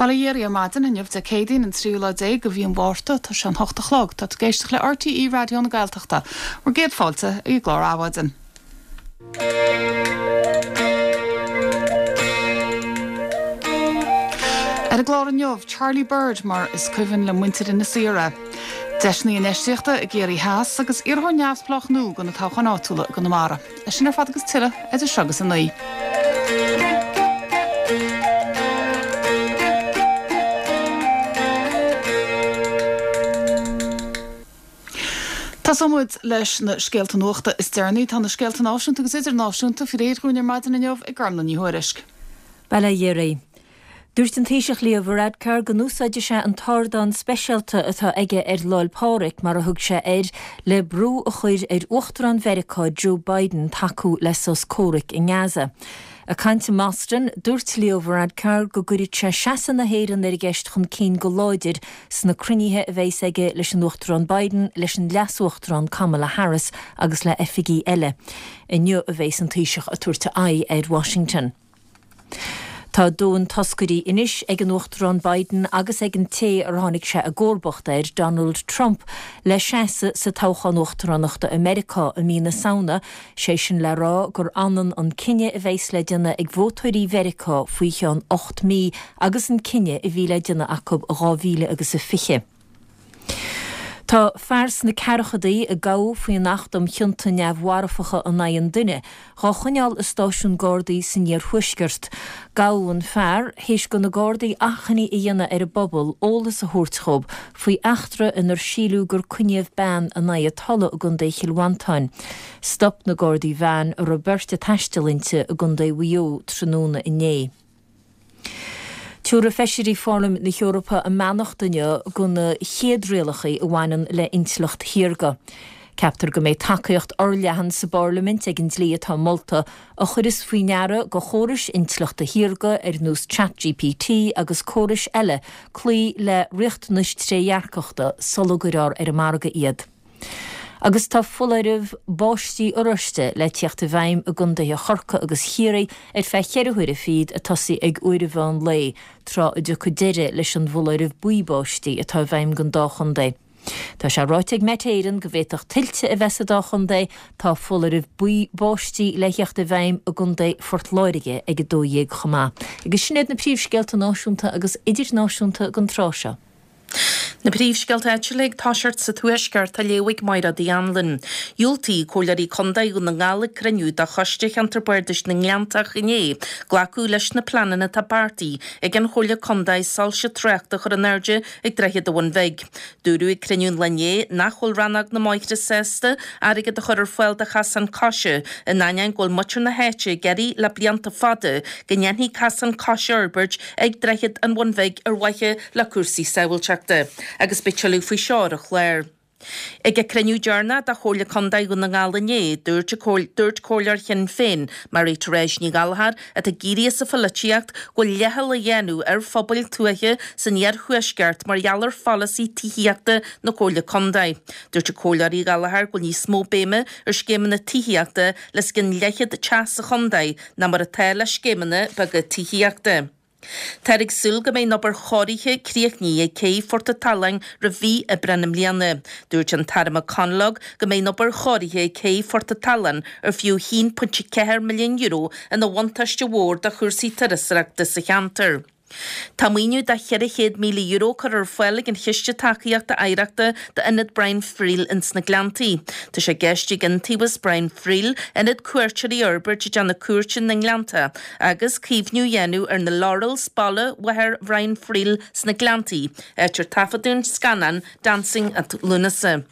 Bail ó Dhia oraibh ar maidin inniu Dé Céadaoin an tríú lá déag de mhí an Mhárta, tá sé an hocht a chlog, tá tú ag éisteacht le RTÉ Raidió na Gaeltachta. Bhur gcéad fáilte ag an gclár Adhmhaidin. Ar an gclár inniu, Charlie Bird mar is cuimhin le muintir Inis Oírr é. Deiseanna infheistíochta i gCiarraí Theas agus iarrthóir neamhspleách nua do na toghcháin áitiúla i gConamara. É sin ar fad agus tuilleadh idir seo agus a 9. Tosóidh muid leis na scéalta nuachta is deireanaí. Tá na scéalta náisiúnta agus idirnáisiúnta faoi réir dhúinn ar maidin inniu ag Gormlaith Ní Thuairisg. Bail ó Dhia oraibh. Dúirt an Taoiseach Leo Varadkar go n-úsáidfidh sé an t-ardán speisialta atá aige ar Lá'l Pádraig, mar a thug sé air, le brú a chur ar Uachtarán Mheiriceá Joe Biden tacú le sos comhraic i nGaza. Ag caint i mBoston, dúirt Leo Varadkar go gcuirfidh sé seasamh na hÉireann ar an gceist chun cinn go láidir sna cruinnithe a bheas aige leis an Uachtarán Biden, leis an Leas-Uachtarán Kamala Harris agus le hoifigigh eile. Inniu a bheas an Taoiseach ag tabhairt a aghaidh ar Washington. Tá dóthain toscairí anois ag an Uachtarán Biden agus ag an té ar tháinig sé i gcomharbacht air, Donald Trump, le seasamh sa toghchán uachtaránachta i Meiriceá i mí na Samhna, sé sin le rá gur ionann an cinneadh a bheas le déanamh ag vótóirí Mheiriceá faoi cheann 8 mí agus an cinneadh a bhí le déanamh acu i 2020. Tá fear sna ceathrachaidí, a gabhadh faoin Acht um Chionta Neamh-Mharfacha in Aghaidh an Duine, dhá choinneáil i stáisiún Gardaí san iarthuaisceart. Gabhadh an fear théis do na Gardaí achainí a dhéanamh ar an bpobal eolas a thabhairt dhóibh faoi eachtra inar síleadh gur coinníodh bean in aghaidh a tola i gContae Chill Mhantáin. Stop na Gardaí veain a raibh beirt ag taisteal inti i gContae Mhaigh Eo tráthnóna inné. Tabharfaidh Feisirí Pharlaimint na hEorpa a mbeannacht inniu do na chéad rialacha a bhaineann le intleacht shaorga. Ceaptar go mbeidh tacaíocht fhorleathan sa bParlaimint ag an dlí atá molta, a chuireas faoi ndeara do chórais intleachta shaorga ar nós ChatGPT agus córais eile cloí le riachtanais trédhearcachta sula gcuirfear ar an margadh iad. Agus tá foláireamh báistí oráiste le tíocht i bhfeidhm i gcontaetha Chorcaí agus Chiarraí ar feadh cheithre huaire fichead ag tosaí ag uair an mheán lae, tráth a dtiocfaidh deireadh leis an bhfoláireamh buí báistí atá i bhfeidhm don dá chontae. Tá sé ráite ag Met Éireann go bhféadfadh tuilte a bheith sa dá chontae. Tá foláireamh buí báistí le theacht i bhfeidhm i gcontae Phort Láirge ag 12 chomh maith. Agus sin iad na príomhscéalta náisiúnta agus idirnáisiúnta don tráth seo. Na príomhscéalta áitiúla ag toiseacht sa Tuaisceart á léamh ag Máire Uí Anluain. Dhiúltaigh Comhairleoirí Contae Dhún na nGall ag cruinniú de Choiste Cheantar Bardais na nGleanntach inné glacadh leis na pleananna atá beartaithe ag an Chomhairle Contae soilse tráchta a chur in airde ag Droichead an Bhun Bhig. Dúradh ag cruinniú an lae inné nach bhfuil Rannóg na mBóithre sásta airgead a chur ar fáil do chasán coise in ainneoin go bhfuil muintir na háite ag iarraidh le blianta fada go ndéanfaí casán coise a fhorbairt ag Droichead an Bhun Bhig ar mhaithe le cúrsaí sábháilteachta, agus beidh tuilleadh faoi seo ar an chlár. Ag a cruinniú deireanach de Chomhairle Contae Dhún na nGall inné, dúirt dúirt Comhairleoir Shinn Féin, Mary Therese Ní Ghallchóir, atá ag éirí as an pholaitíocht, go bhfuil leithcheal á dhéanamh ar phobail tuaithe san iarthuaisceart mar gheall ar pholasaí tithíochta na Comhairle Contae. Dúirt an Comhairleoir Uí Ghallchóir go bhfuil níos mó béime ar scéimeanna tithíochta le os cionn leathchéad teach sa chontae ná mar atá le scéimeanna beaga tithíochta. Táthar ag súil go mbeidh an obair chóirithe críochnaithe ag cé Phort an tSalann roimh mhí Aibreáin i mbliana. Dúirt an tAire McConalogue go mbeidh an obair chóirithe ag cé Phort an tSalann, ar fiú €1.4 milliún, ina bhuntáiste mhór do chúrsaí turasóireachta sa cheantar. Tá maoiniú de €400,000 curtha ar fáil ag an Chiste Tacaíochta Oidhreachta d'Ionad Brian Friel ins na Gleanntaí. Tá sé i gceist ag Iontaobhas Brian Friel ionad cuairteoirí a fhorbairt ag déanamh cuairte na nGleannta agus caomhnú a dhéanamh ar na Laurels, baile mháthair Bhrian Friel sna Gleanntaí, áit ar taifeadadh an scannán Dancing at Lughnasa.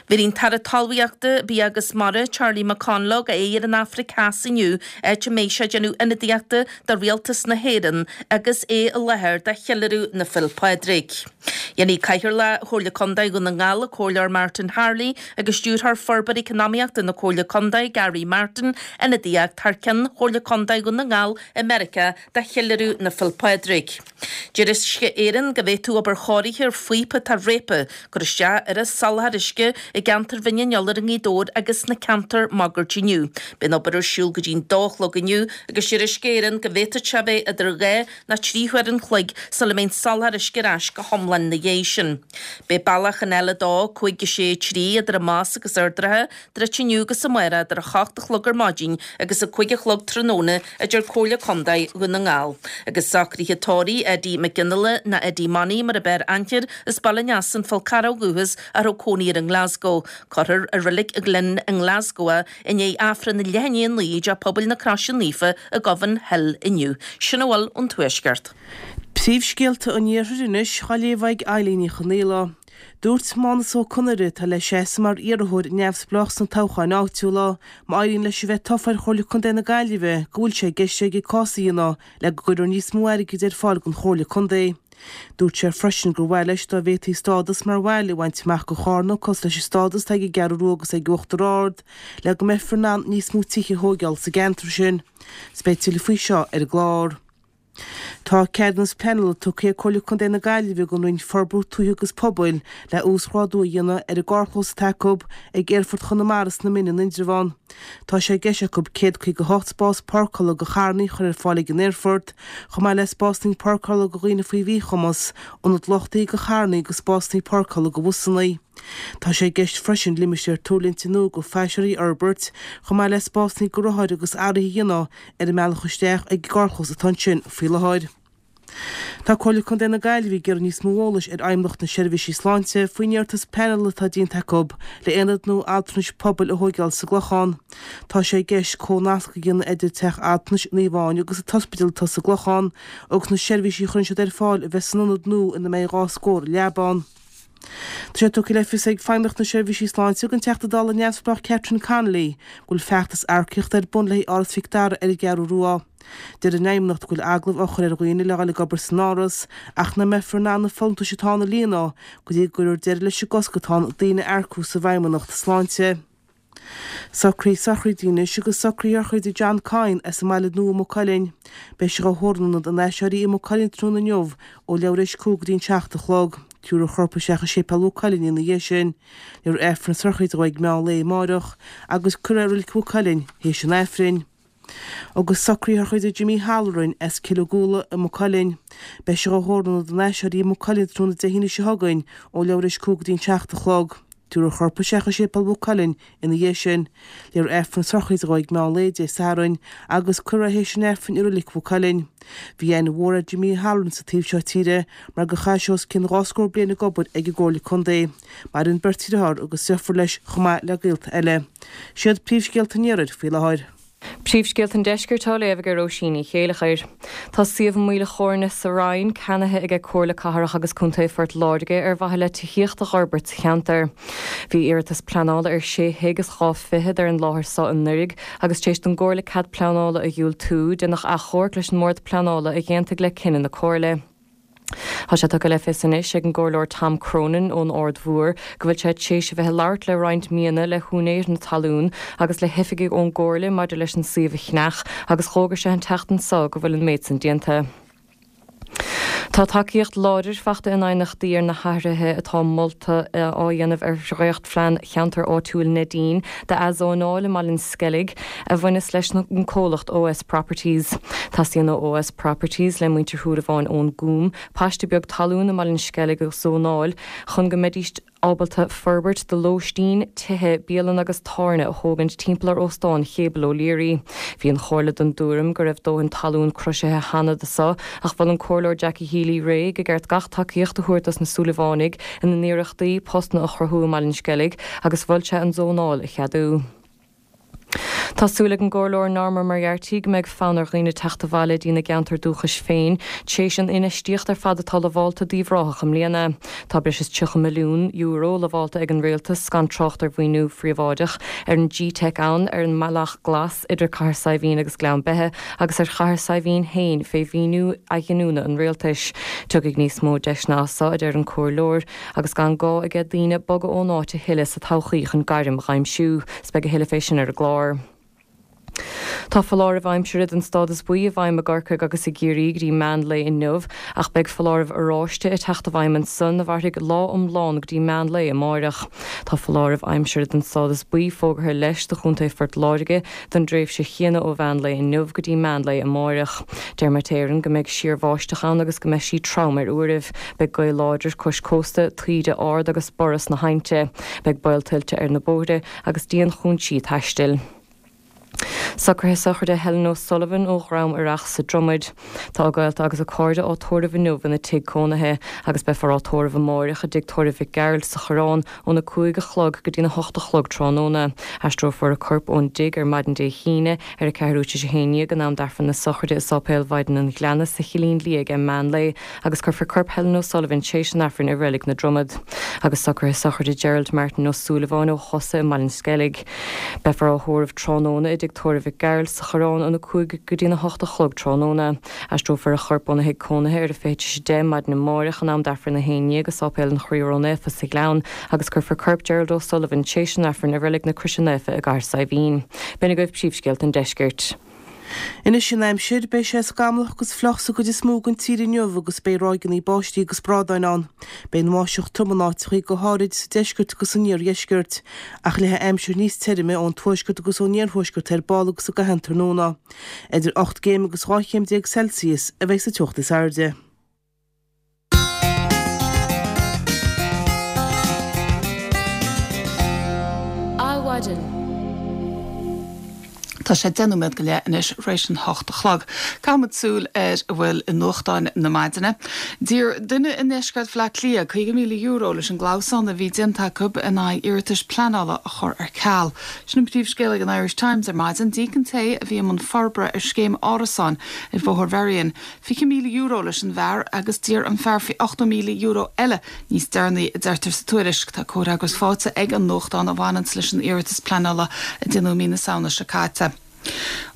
Bhéarfaidh an tAire Talmhaíochta, Bia agus Mara, Charlie McConalogue, a aghaidh ar an Afraic Theas inniu, áit a mbeidh sé ag déanamh ionadaíochta do Rialtas na hÉireann agus é i láthair do cheiliúradh na Féile Pádraig. Dhéanfaidh Cathaoirleach Chomhairle Contae Dhún na nGall, an Comhairleoir Martin Harley, agus Stiúrthóir Forbartha Eacnamaíochta na Comhairle Contae, Gary Martin, ionadaíocht thar ceann Chomhairle Contae Dhún na nGall i Meiriceá do cheiliúradh na Féil' Pádraig. Deir Uisce Éireann go bhféadfadh obair chóirithe ar phíopa atá réabtha cur isteach ar an soláthar uisce i gceantar Bhinn an Iolair i nGaoth Dobhair agus sna ceantair máguaird inniu. Beidh an obair ar siúl go dtí'n dó a chlog inniu agus deir Uisce Éireann go bhféadfadh sé a bheith idir 2 nó 3 huair an chloig sula mbeidh an soláthar uisce ar ais go hiomlán ina dhiaidh sin. Beidh bealach an L2 5 6 3 idir an Más agus Ard an Rátha druidte inniu agus amárach idir 8 a chlog ar maidin agus 5 a chlog tráthnóna, a deir Comhairle Contae Dhún na nGall. Agus socruithe tórraimh Eddie Mac Fhionnghaile nó Eddie Money mar ab fhearr aithne air as Baile an Easa An Fál Carrach ó dhúchas a raibh cónaí air i nGlasgow. Cuirfear i Reilig an Ghleann i nGlasgow é i ndiaidh Aifreann a leath i ndiaidh 9 i dTeach Pobail na Croise Naofa i Govanhill inniu. Sin a bhfuil ón Tuaisceart. Príomhscéalta an Iarthair anois á léamh ag Eilín Ní Chonaola. Dúirt Mánus Ó Conaire, atá le seasamh mar iarrthóir neamhspleách sna toghcháin áitiúla, má éiríonn leis a bheith tofa ar Chomhairle Contae na Gaillimhe, go bhfuil sé i gceist aige cás a dhéanamh le go gcuirfear níos mó airgid ar fáil don Chomhairle Contae. Dúirt sé freisin gur mhaith leis dá bhféadfaí stádas mar bhaile a bhaint amach do Chárna cosúil leis an stádas atá ag an gCeathrú Rua agus ag Uachtar Ard le go mbeifear in ann níos mó tithe a thóigeáil sa gceantar sin. 'S beidh tuilleadh faoi seo ar an gclár. Tá ceadúnas pleanála tugtha ag Comhairle Contae na Gaillimhe don Roinn Forbartha Tuaithe agus Pobail le uasghrádú a dhéanamh ar an gcarrchlós atá acu ag Aerfort Chonamara sna Mine in Indreabhán. Tá sé i gceist acu 158 spás páirceála do charranna a chur ar fáil ag an aerfort, chomh maith le spásanna páirceála do dhaoine faoi mhíchumas, ionad luchtaithe do charranna agus spásanna páirceála do bhusanna. Tá sé i gceist freisin limistéar tuirlingte nua do phaisinéirí a fhorbairt, chomh maith le spásanna do rothair agus athruithe a dhéanamh ar an mbealach isteach ag an gcarrchlós atá ansin faoi láthair. Tá Comhairle Contae na Gaillimhe ag iarraidh níos mó eolais ar Fheidhmeannacht na Seirbhísí Sláinte faoin iarratas pleanála atá déanta acu le aonad nua altranais pobail a thóigeáil sa gClochán. Tá sé i gceist comhnasc a dhéanamh idir Teach Altranais Naomh Áine agus an t-ospidéal atá sa gClochán agus na seirbhísí a chuireann siad ar fáil a bheith san ionad nua ina mbeidh 2 scór leaba ann. Tá sé tugtha le fios ag Feidhmeannacht na Seirbhísí Sláinte don Teachta Dála neamhspleách Catherine Connolly go bhfuil feachtas earcaíochta ar bun le haghaidh Áras Mhic Dara ar an gCeathrú Rua. Deir an Fheidhmeannacht go bhfuil agallaimh á chur ar dhaoine le dhul ag obair san Áras ach nach mbeifear in ann na folúntais atá ann a líonadh go dtí go gcuirfear deireadh leis an gcosc atá ann daoine a earcú sa bhFeidhmeannacht Sláinte. Socruithe sochraide anois agus socruithe sochraide John Coyne as an mBaile Nua i Maigh Cuilinn. Beidh sé dhá thórramh in Ionad an Aiséirí i Maigh Cuilinn tráthnóna inniu ó leathuair théis 5 go dtí an 7 a chlog. Tabharfar a chorp isteach i Séipéal Mhaigh Cuilinn ina dhiaidh sin. Léifear Aifreann na sochraide dó ag meán lae amáireach agus cuirfear é i Reilig Mhaigh Cuilinn théis an Aifrinn. Agus socruithe sochraide Jimmy Halloran as Cill na Gúla i Maigh Cuilinn. Beidh sé dhá thórramh in Ionad an Aiséirí i Maigh Cuilinn tráthnóna Dé hAoine seo chugainn ó leathuair théis 5 go dtí an 7 a chlog. Tabharfar a chorp isteach i Séipéal Mhaigh Cuilinn ina dhiaidh sin. Léifear Aifreann na sochraide dó ag meán lae Dé Sathairn agus cuirfear é théis an Aifrinn i Reilig Mhaigh Cuilinn. Bhí aithne mhór ar Jimmy Halloran sa taobh seo tíre mar gur chaith sé os cionn 20 scór bliain ag obair ag an gComhairle Contae. Maireann beirt dhearthár agus deirfiúr leis chomh maith le gaolta eile. Siad príomhscéalta an Iarthair faoi láthair. Príomhscéalta an Deiscirt á léamh ag Róisín Ní Chéileachair. Tá suíomh i Maoil a' Chóirne sa Rinn ceannaithe aige Comhairle Cathrach agus Contae Phort Láirge ar mhaithe le tithíocht a dh'fhorbairt sa cheantar. Bhí iarratas pleanála ar sé thigh is dhá fichead ar an láthair so anuraidh agus tar éis don gComhairle cead pleanála a dhiúltú, déanadh achomharc leis an mBord Pleanála a dh'aontaigh le cinneadh na Comhairle. Tá sé tugtha le fios anois ag an gComhairleoir Tom Cronin ón Aird Mhór go bhfuil sé tar éis a bheith ag labhairt le roinnt míonna le húinéir na talún agus le hoifigigh ón gComhairle maidir leis an suíomh a cheannach agus dh'fhógair sé an tseachtain so go bhfuil an méid san déanta. Tá tacaíocht láidir fachta in aighneachtaí ar na hathruithe atá molta á dhéanamh ar dhréachtphlean Cheantar Áitiúil Neidín d'athzónáil i mBaile an Sceilg a bhaineas leis an comhlacht OS Properties. Teastaíonn ó OS Properties, le muintir Shúilleabháin ón gCúm, paiste beag talún i mBaile an Sceilg a zónáil chun go mbeidís ábalta forbairt do lóistín, tithe, bialanna agus tábhairne a thógaint timpeall ar Óstán Chéibel O'Leary. Bhí an Chomhairle den dtuairim go raibh dóthain talún croisithe cheana do so ach mhol an Comhairleoir Jackie Healy-Rae go gceart gach tacaíocht a thabhairt dos na Súilleabhánaigh ina n-iarrachtaí postanna a chruthú i mBaile an Sceilg agus mhol sé an zónáil a cheadú. Tá súil ag an gComhairleoir Norma Moriarty go mbeidh fonn ar dhaoine teacht abhaile dtína gceantar dúchais féin tar éis an infheistíocht ar fad atá lamhálta d'Uíbh Ráthach i mbliana. Tá breis is €30 milliún lamhálta ag an Rialtas, gan trácht ar mhaoiniú phríobháideach, ar an G-Teic ann, ar an mBealach Glas idir Cathair Saidhbhín agus Gleann Beithe agus ar Chathair Saidhbhín féin fé mhaoiniú athghiniúna an Rialtais. Tiocfaidh níos mó deiseanna as so, a deir an Comhairleoir, agus gan gá aige daoine bogadh ón áit a thuilleadh sa todhchaí chun gairm dh'aimsiú. 'S beidh a thuilleadh fé sin ar an gclár. Tá foláireamh aimsire den stádas buí i bhfeidhm i gCorcaigh agus i gCiarraí go dtí meán lae inniu, ach beidh foláireamh oráiste ag teacht i bhfeidhm ansan a mhairfidh lá iomlán go dtí meán lae amáireach. Tá foláireamh aimsire den stádas buí fógartha leis do Chontae Phort Láirge don dtréimhse chéanna ó mheán lae inniu go dtí meán lae amáireach. Deir Met Éireann go mbeidh síorbháisteach ann agus go mbeidh sí trom ar uairibh. Beidh gaoth láidir cois cósta, taoide ard agus borradh sna haibhnte. Beidh baol tuilte ar na bóithre agus dianchúinsí taistil. Socruithe sochraide Helen O'Sullivan ó Dhrom Oireach sa Dromaid. Tá a gaolta agus a cairde á tórramh inniu ina tigh cónaithe agus beifear á tórramh amáireach i dTigh Tórraimh Mhic Gearailt sa Choireán óna 5 a chlog go dtína 8 a chlog tráthnóna. Aistreofar a corp ón dtigh ar maidin Dé hAoine ar a ceathrú tar éis a haon dhéag in am d'Aifreann na sochraide i Sáipéal Mhaighdean an Ghleanna sa Chillín Liath ag meán lae agus cuirfear corp Helen O'Sullivan tréis an Aifrinn i Reilig na Dromad. Agus socruithe sochraide Gerald Martin Ó Súilleabháin ó Chosa i mBaile an Sceilg. Beifear á thórramh tráthnóna i dTigh Tórraimh Mhic Gearailt sa Choireán óna 5 go dtína 8 a chlog tráthnóna. Aistreofar a chorp óna thigh cónaithe ar a 9:40 maidin amáireach in am d'Aifreann a haon dhéag i Sáipéal an Chroí Ró-Naofa sa Ghleann agus cuirfear corp Gerald O'Sullivan tréis an Aifrinn i Reilig na Croise Naofa i gCathair Saidhbhín. B'in agaibh príomhscéalta an deiscirt. Anois an aimsir, beidh sé scamallach agus fliuch sa gcuid is mó den tír inniu agus beidh ráigeanna báistí agus brádáin ann. Beidh an bháisteach trom in áiteachaí, go háirid sa deisceart agus san iardheisceart. Ach leathfaidh aimsir níos tirime ón tuaisceart agus ón iarthuaisceart ar ball agus i gcaitheamh an tráthnóna. Idir 8 gcéim agus 12 chéim Celsius a bheidh sa teocht is airde. Adhmhaidin. Tá sé 10 nóiméad go leith anois tar éis an hocht a chlog. Caithfimid súil ar a bhfuil i nuachtáin na maidine. D'iarr duine i ndeisceart Bhaile Átha Cliath €50,000 leis an gclamhsán a bhí déanta acu in aghaidh iarratais pleanála a chur ar ceal. Sin an príomhscéal ag an Irish Times ar maidin. D'íoc an té a bhí i mbun forbartha ar scéim árasáin ar Bhóthar Mherrion €20,000 leis an bhfear agus d'iarr an fear €80,000 eile níos deireanaí, a deirtear sa tuairisc. Tá comhfhreagras faighte ag an nuachtán a bhaineanns leis an iarratas pleanála a déanadh i mí na Samhna seo caite.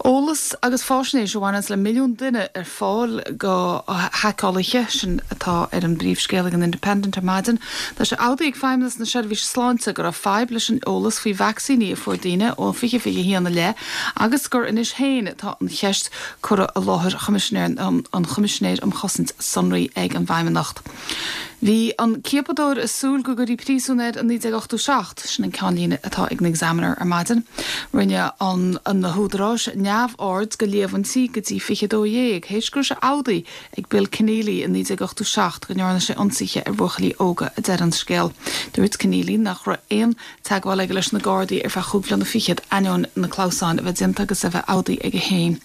Eolas agus fáisnéis a bhaineanns le milliún duine ar fáil go haiceálaithe, sin atá ar an bpríomhscéal ag an Independent ar maidin. Tá sé admhaithe ag Feidhmeannas na Seirbhíse Sláinte go raibh fadhb leis an eolas faoi vacsaíní a fuair daoine ó 2021 i leith agus gur anois féin atá an cheist curtha i láthair Choimisinéir an Choimisinéir um Chosaint Sonraí ag an bhFeidhmeannacht. Bhí an ciapadóir ag súil go gcuirfí príosún air i 1987, sin an ceannlíne atá ag an Examiner ar maidin. Rinne an na húdaráis neamhaird de líomhaintí go dtí 2012, théis go raibh sé admhaithe ag Bill Kenneally i 1987 go ndearna sé ionsaithe ar bhuachaillí óga, a deir an scéal. Dúirt Kenneally nach raibh aon teagmháil aige leis na Gardaí ar feadh chúig bhliana fichead, ainneoin na clamhsáin a bheith déanta agus a bheith admhaithe aige féin.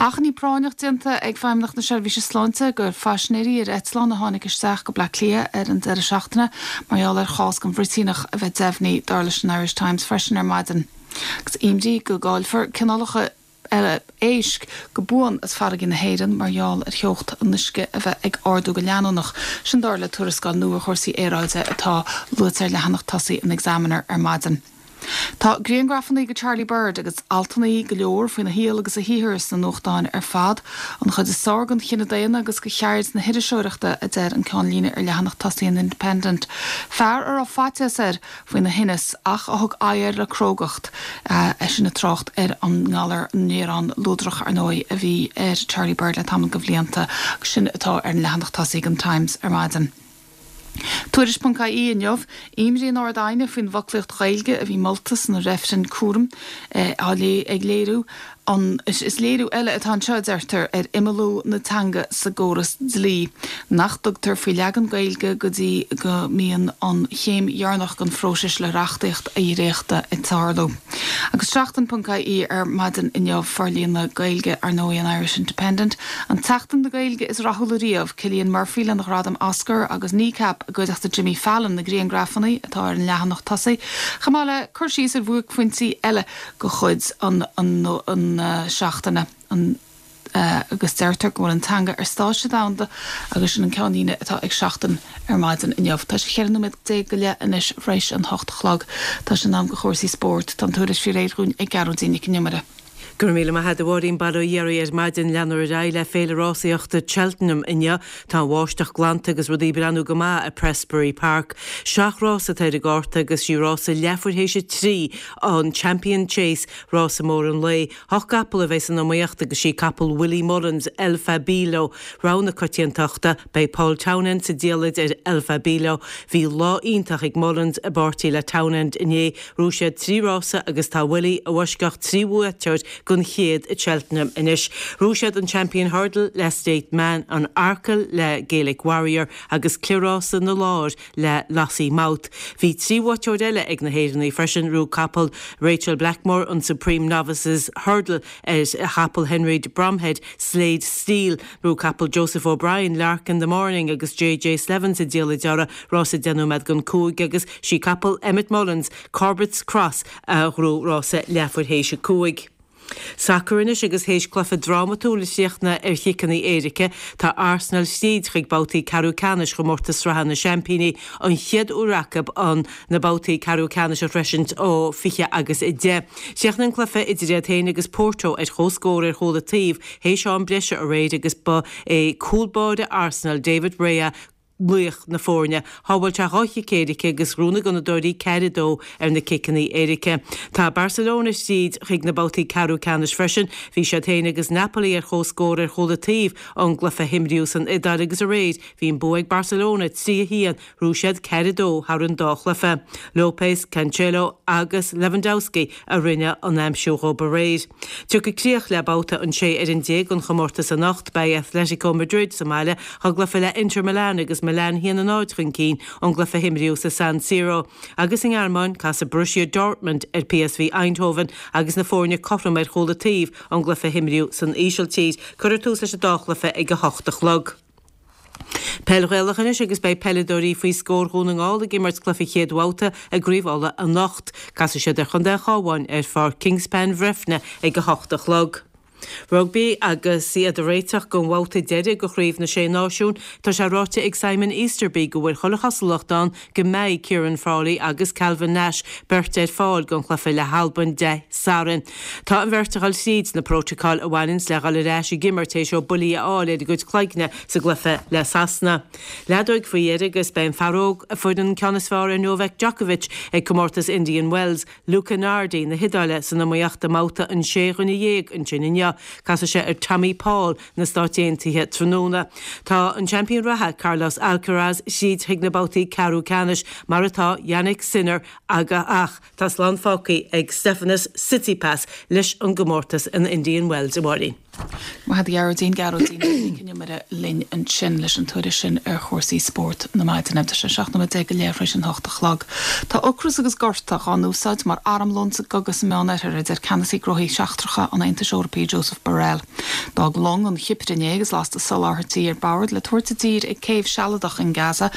Achainí práinneach déanta ag Feidhmeannacht na Seirbhíse Sláinte gur phaisinéirí ar eitleán a tháinig isteach go Bleá Cliath ar an deireadh seachtaine mar gheall ar chás den bhruitíneach a bheith deimhnithe, dar leis an Irish Times freisin ar maidin. Agus imní go gcaillfear cineálacha eile éisc go buan as farraigí na hÉireann mar gheall ar theocht an uisce a bheith ag ardú go leanúnach. Sin dar le tuarascáil nua ar chúrsaí aeráide atá luaite ar leathanach tosaigh an Examiner ar maidin. Tá griangrafannaí de Charlie Bird agus altannaí go leor faoina shaol agus a shaothar sna nuachtáin ar fad. An chuid is fearr den chine daonna agus de cheird na hiriseoireachta, a deir an ceannlíne ar leathanach tosaigh an Independent. Fear a raibh faitíos air faoina thinneas ach a thug aghaidh air le crógacht, eisean ag trácht ar an ngalar néarán luadrach, ar ndóigh, a bhí ar Charlie Bird le tamall de bhlianta, agus sin atá ar an leathanach tosaigh den Times ar maidin. Tuairisc ponc IE inniu, Imní an Ard-Aighne faoin bhfoclaíocht Ghaeilge a bhí molta san reifreann cúraim á ag léiriú. An, is léiriú eile atá anseo, a deirtear, ar imeallú na teanga sa gcóras dlí, nach dtugtar faoi leagan Gaeilge go dtí go mbíonn an chéim dheireanach den phróiseas le reachtaíocht a dhréachtadh ag tarlú. Agus Seachtain.ie ar maidin inniu, forlíonadh Gaeilge, ar ndóigh, an Irish Independent, an tSeachtain na Gaeilge is rathúla riamh, Cillian Murphy lena ghradam Oscar agus Kneecap i gcuideachta Jimmy Fallon, na griangrafanna atá ar an leathanach tosaigh, chomh maith le cur síos ar bhuaicphointí eile de chuid an seachtaine agus deirtear go bhfuil an teanga ar stáitse domhanda agus sin an ceannlíne atá ag Seachtain ar maidin inniu. Tá sé 14 nóiméad go leith anois tar éis an hocht a chlog. Tá sé in am do chúrsaí spóirt. Tá an tuairisc faoi réir dhúinn ag Gearóidín Nic an Iomaire. Go raibh míle maith agat a Mháirín. Bail ó Dhia oraibh ar maidin. Leanfar ar aghaidh le Féile Rásaíochta Cheltenham inniu. Tá an bháisteach glanta agus rudaí ag breathnú go maith i Prestbury Park. Seacht rás atá ar an gcárta agus sí rása leathuair théis a trí an Champion Chase, rása mór an lae. Ocht gcapall a bheidh san iomaíocht agus sí capall Willie Mullins, El Fabiolo, rogha na coitiantachta. Beidh Paul Townend sa diallait ar El Fabiolo. Bhí lá iontach ag Mullins i bpáirtí le Townend inné. Ghnóthaigh siad 3 rása agus tá Willie i bhfoisceacht 3 bhuaiteoir den chéad i Cheltenham anois. Ghnóthaigh siad an Champion Hurdle le State Man, an Arkle le Gaelic Warrior agus Cliathrása na Lár le Lossiemouth. Bhí 3 bhuaiteoir eile ag na hÉireannaigh freisin, ghnóthaigh capall Rachael Blackmore an Supreme Novices Hurdle ar chapall Henry de Bromhead, Slade Steel. Ghnóthaigh capall Joseph O'Brien, Lark in the Morning agus JJ Slevin sa diallait orthu, rása 10 nóiméad don 5 agus sí capall Emmet Mullins, Corbett's Cross a ghnóthaigh rása leathuair théis a 5. Sacar anois agus théis cluiche drámatúil a chríochnaigh ar chiceanna éirice, tá Arsenal thríd chuig babhtaí ceathrú ceannais chomórtas sraithe na Seaimpíní, an chéad uair acu an na babhtaí ceathrú ceannais a shroisint ó 20 agus 10. Chríochnaigh an cluiche idir iad féin agus Porto ar comhscór ar chúl an taobh théis am breise aréir agus ba é cúl báire Arsenal, David Raya, laoch na foirne. Shábháil sé dhá chic éirice agus ghnóthaigh na Gunnadóirí 4, 2 ar na ciceanna éirice. Tá Barcelona tríd chuig na babhtaí ceathrú ceannais freisin. Bhí siad féin agus Napoli ar comhscór ar chúl an taobh ón gcluiche a himríodh san Iodáil agus aréir bhí an bua ag Barcelona 3, 1 Ghnóthaigh siad 4, 2 thar an dá chluiche. Lopez, Cancelo agus Lewandowski a rinne an aimsiú dhóibh aréir. Tiocfaidh críoch le babhta an 16 ar an den chomórtas anocht. Beidh Atletico Madrid sa mbaile dá gcluiche le Inter Milan agus Milan 1, 0 chun cinn ón gcluiche a himríodh sa San Siro. Agus sa nGearmáin, casfaidh Borussia Dortmund ar PSV Eindhoven agus na foirne cothrom ar chúl an taobh ón gcluiche a himríodh san Ísiltír. Cuirfear tús leis an dá chluiche ag a hocht a chlog. Peil Ghaelach anois agus beidh peileadóirí faoi scór Dhún na nGall ag imirt cluiche chéad bhabhta i gCraobh Uladh anocht. Casfaidh siad ar Chontae an Chabháin ar Pháirc Kingspan Bhreifne ag 8 a chlog. Rugbaí agus iad ag réiteach don bhabhta deiridh de Chraobh na Sé Náisiún, tá sé ráite ag Simon Easterby go bhfuil chuile chosúlacht ann go mbeidh Ciaran Frawley agus Calvin Nash beirt ar fáil don chluiche le hAlbain Dé Sathairn. Tá an bheirt ag dul tríd na prótacail a bhaineanns le dhul ar ais ag imirt théis dóibh buillí a fháil ar a gcuid cloigne sa gcluiche le Sasana. Leadóig faoi dheireadh agus beidh an fear óg a fuair an ceann is fearr ar Novak Djokovic ag comórtas Indian Wells, Luca Nardi na hIodáile san iomaíocht i mbabhta an sé dhuine dhéag ansin inniu. Casfaidh sé ar Tommy Paul na Stáit Aontaithe tráthnóna. Tá an seaimpín reatha, Carlos Alcaraz, thríd chuig na babhtaí ceathrú ceannais, mar atá Jannik Sinner aga ach tá slán fágtha ag Stefanos Tsitsipas leis an gcomórtas in Indian Wells, a Mháirín. Maith agat a Ghearóidín, Gearóidín Nic an Iomaire linn ansin leis an tuairisc sin ar chúrsaí spóirt na maidine. Tá sé 17 nóiméad go leith tar éis an hocht a chlog. Tá ocras agus gorta dhá n-úsáid mar armlón sa gcogadh sa Meánoirthear, a deir Ceannasaí Gnóthaí Seachtracha an Aontais Eorpaigh Josep Borrell. D'fhág long an Chipir inné agus lasta soláthairtí ar bord le tabhairt i dtír ag céibh sealadach in Gaza,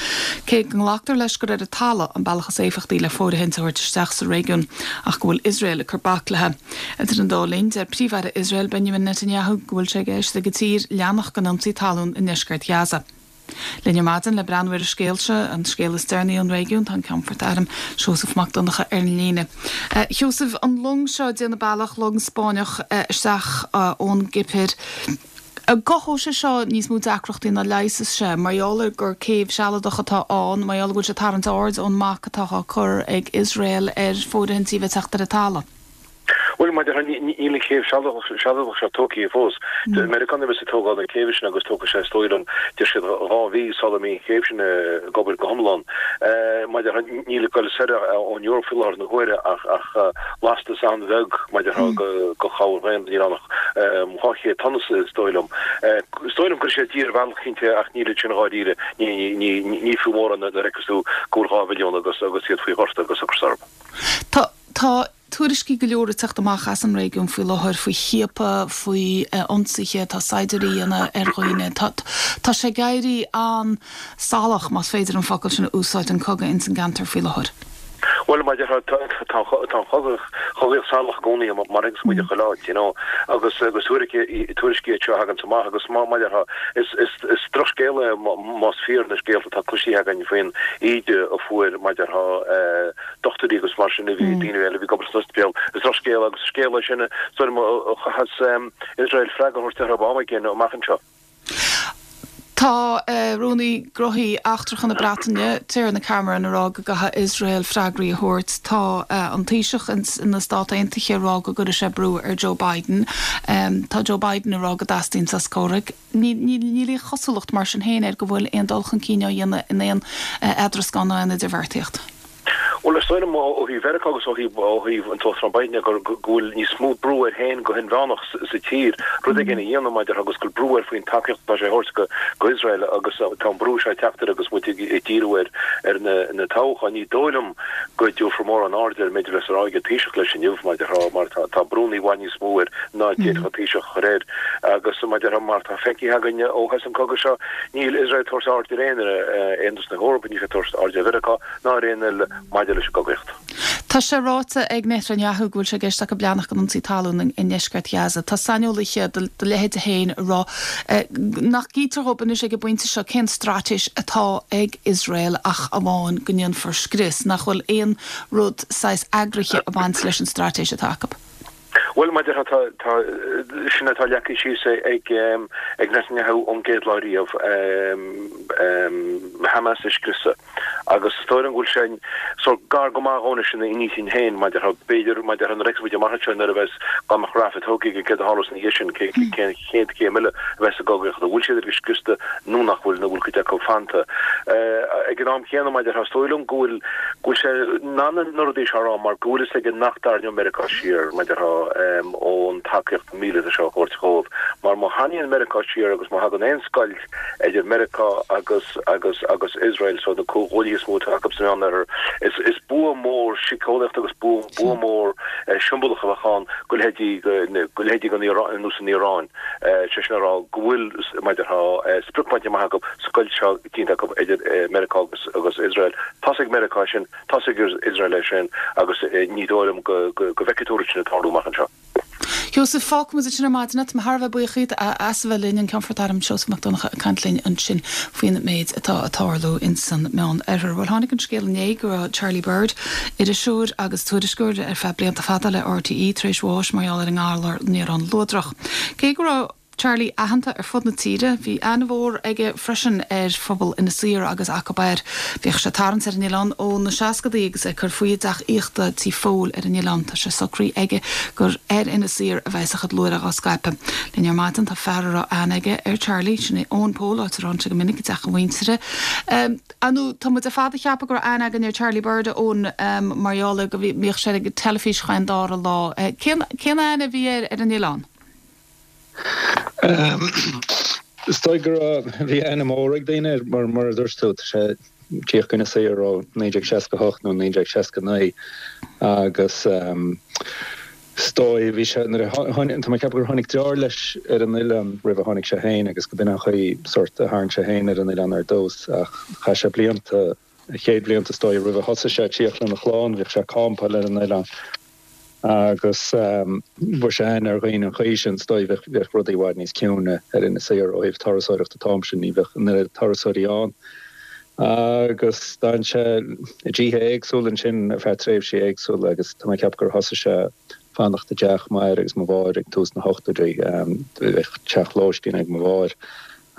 cé go nglactar leis gur ar an talamh an bealach is éifeachtaí le fóirithint a thabhairt isteach sa réigiún ach go bhfuil Iosrael ag cur bac léi. Idir an dá linn, deir Príomh-Aire Iosrael Benjamin Netanyahu go bhfuil sé i gceist ag a tír leanacht den ionsaí talún i ndeisceart Ghaza. Linn ar maidin le breathnú ar an scéal seo, an scéal is deireanaí ón réigiún, tá an Ceannfort Airm, Seosamh Mac Donncha ar an líne. A Sheosaimh, an long seo ag déanamh bealach, long Spáinneach, isteach ón gCipir, an gcothóidh sé seo níos mó deacrachtaí ná leigheasfas sé, mar gheall ar gur céibh sealadach atá ann, mar gheall go bhfuil sé ag tarraingt aird ón mbac atá á cur ag Iosrael ar fóirithintí a bheith ag teacht ar an talamh? Bhuel, mar a déarfá, níl an chéibh sealadach seo tógtha fós. Meiriceánaigh a bheas ag tógáil na céibhe sin agus tógfaidh sé, is dóigh liom, deir siad, 2 mhí sula mbeidh an chéibh sin ag obair go hiomlán. Mar a déarfá, níl ag goil soir ón Eoraip faoi láthair na huaire ach lastas an-bheag, mar a déarfá, de chabhair dhaonna níl ann ach 200 tonna is dóigh liom. Is dóigh liom go gcuirfidh sé i dtír ar bhealach cinnte ach níl ansin dháiríre, ní fiú mórán nuair a fheiceas tú go bhfuil 2 mhilliún agus iad faoi ghorta agus ocras orthu. Tá, tá tuairiscí go leor ag teacht amach as an réigiún faoi láthair faoi chiapadh, faoi ionsaithe atá saighdiúirí a dhéanamh ar dhaoine. Tá, tá sé ag éirí an-salach, más féidir an focal sin a úsáid, an cogadh ins an gceantar faoi láthair. Bhuel, mar a déarfá, tá an chogaíocht salach i gcónaí, mar a fheiceanns muid i chuile áit, you know, agus agus tuairiscí iad seo a thaganns amach agus mar a déarfá, is drochscéal é más fíor na scéalta atá cloisithe againn faoin íde a fuair, mar a déarfá, dochtúirí agus mar sin a bhí, daoine eile a bhí ag obair san ospidéal. Is drochscéal agus scéal é sin, is dóigh liom, a chaithfeas Iosrael freagra a thabhairt orthu am éigin amach anseo. Tá Rúnaí Gnóthaí Eachtracha na Breataine, Tiarna Cameron, ag rá go gcaithfidh Iosrael freagraí a thabhairt. Tá an Taoiseach na Stát Aontaithe ag rá go gcuirfidh sé brú ar Joe Biden. Tá Joe Biden ag rá go dteastaíonn sos comhraic. Níl aon chosúlacht mar sin féin air go bhfuil aon dul chun cinn á dhéanamh in aon eadrascán ná aon idirbheartaíocht. Bhuel, is dóigh liom ó thaobh Mheiriceá agus ó thaobh ó thaobh an tUachtarán Biden de go bhfuil níos mó brú air féin go hinmheánach sa tír rud éigin a dhéanamh mar a déarfá agus go bhfuil brú air faoin tacaíocht atá sé a thabhairt go go Iosrael agus tá an brú seo ag teacht air agus muid ag díriú ar ar na na toghcháin. Ní dóigh liom go dtabharfar mórán airde ar an méid a bheas á rá ag an Taoiseach leis inniu mar a déarfá mar tá tá brúnna i bhfad níos mó air ná d'fhéadfadh an Taoiseach a chur air agus mar a déarfá mar atá feicthe againn ó thús an chogaidh seo níl Iosrael ag tabhairt aird ar aon Aontas na hEorpa, níl sé ag tabhairt aird ar Mheiriceá ná ar aon eile maidir leis an gcogaíocht. Tá sé ráite ag Netanyahu go bhfuil sé i gceist acu leanacht den ionsaí talún i ndeisceart Ghaza. Tá saineolaithe de do leithéide féin ag rá nach gcítear dhóibh anois ag an bpointe seo cén straitéis atá ag Iosrael ach amháin go ndéanfar scrios, nach bhfuil aon rud saghas eagraithe ag baint leis an straitéis atá acu. Bhuel, mar a déarfá, tá, tá, sin atá leagtha síos ag, ag Netanyahu ón gcéad lá riamh, Hamas a scriosadh. Agus is dóigh liom go bhfuil sé sórt gar go maith dhó anois ina intinn féin, mar a déarfá, b'fhéidir, mar a déarfá, nuair a fheicfeas muid amach anseo nuair a bheas, dá mbeadh Rafah tógtha aige, céard a tharlós ina dhiaidh sin, cé, cén chéad chéim eile a bheas sa gcogaíocht, an bhfuil siad uilig scriosta nó nach bhfuil, nó bhfuil cuid acu fanta. Ag an am chéanna, mar a déarfá, is dóigh liom go bhfuil, go bhfuil sé in ann na rudaí seo a rá mar go bhfuil fhios aige nach dtarraingeoidh Meiriceá siar, mar a déarfá, ón tacaíocht mhíleata seo a thabhairt dhóibh. Mar má tharraingíonn Meiriceá siar agus má thagann aon scoilt idir Meiriceá agus agus agus Iosrael, so na comhghuaillithe is mó atá acu sa Mheánoirthear, is is bua mór síceolaíochta agus bua bua mór siombalach a bheadh ann go leithéidí go leithéidí an Iaráin ar nós an Iaráin, sé sin a rá go bhfuil, mar a déarfá, sprioc bainte amach acu, scoilt seo déanta acu idir Meiriceá agus agus Iosrael. Tá's ag Meiriceá é sin, tá's ag Iosrael é sin agus ní dóigh liom go bhfeicfidh tú an rud sin ag tarlú amach anseo. Sheosaimh, fágfaidh muid ansin ar maidin é. Tá mé thar a bheith buíoch díot as a bheith linn, an Ceannfort Airm Seosamh Mac Donncha ag caint linn ansin faoin méid atá ag tarlú ins an Meán Oirthear. Bhuel, tháinig an scéal inné go raibh Charlie Bird, iriseoir agus tuairisceoir ar feadh blianta fada le RTÉ, tar éis bháis mar gheall ar an ngalar néarán luadrach. Cé go raibh. Charlie aitheanta ar fud na tíre. Bhí aithne mhór aige freisin ar phobal Inis Oírr agus acu air. Bhíodh sé ag tarraingt ar an oileán ó na seascadaí agus é ag cur faoi i dteach aíochta Tí Phóil ar an oileán. Tá sé socraithe aige gur ar Inis Oírr a bheas a chuid luaithreach á scaipeadh. Linn ar maidin tá fear a raibh aithne aige ar Charlie, sin é Eoin Pól, áit a raibh sé go minic i dteach a mhuintire. Ar ndóigh, tá muid ar fad ag ceapadh go raibh aithne againn ar Charlie Bird, a Eoin, mar gheall ar go mbíodh sé ar an teilifís chaon dara lá. Cén aithne a bhí air ar an oileán? Is dóigh go raibh, bhí aithne mhór ag daoine air, mar, mar a dúirt tú, tá sé ag tíocht go Inis Oírr ó 1968 nó 1969 agus is dóigh, bhí sé, nuair a tháinig, tá mé ag ceapadh gur tháinig deartháir leis ar an oileán roimh a tháinig sé féin agus go b'in an chaoi sórt a tharraing sé féin ar an oileán ar dtús ach chaith sé blianta, a chéad bhlianta is dóigh roimh a thosaigh sé ag tíocht lena chlann, bhíodh sé ag campáil ar an oileán. Agus fuair sé aithne ar dhaoine an chaoi sin, is dóigh, bheadh, bheadh rudaí i bhfad níos ciúine ar Inis Oírr ó thaobh turasóireachta an t-am sin, ní bheadh an oiread turasóirí ann. Agus d'fhan sé i dtithe éagsúla ansin ar feadh tréimhsí éagsúla agus tá mé ag ceapadh gur thosaigh sé fanacht i dteach m'athar agus mo mháthair ag tús na hochtóidí. Bheadh teach lóistín ag mo mháthair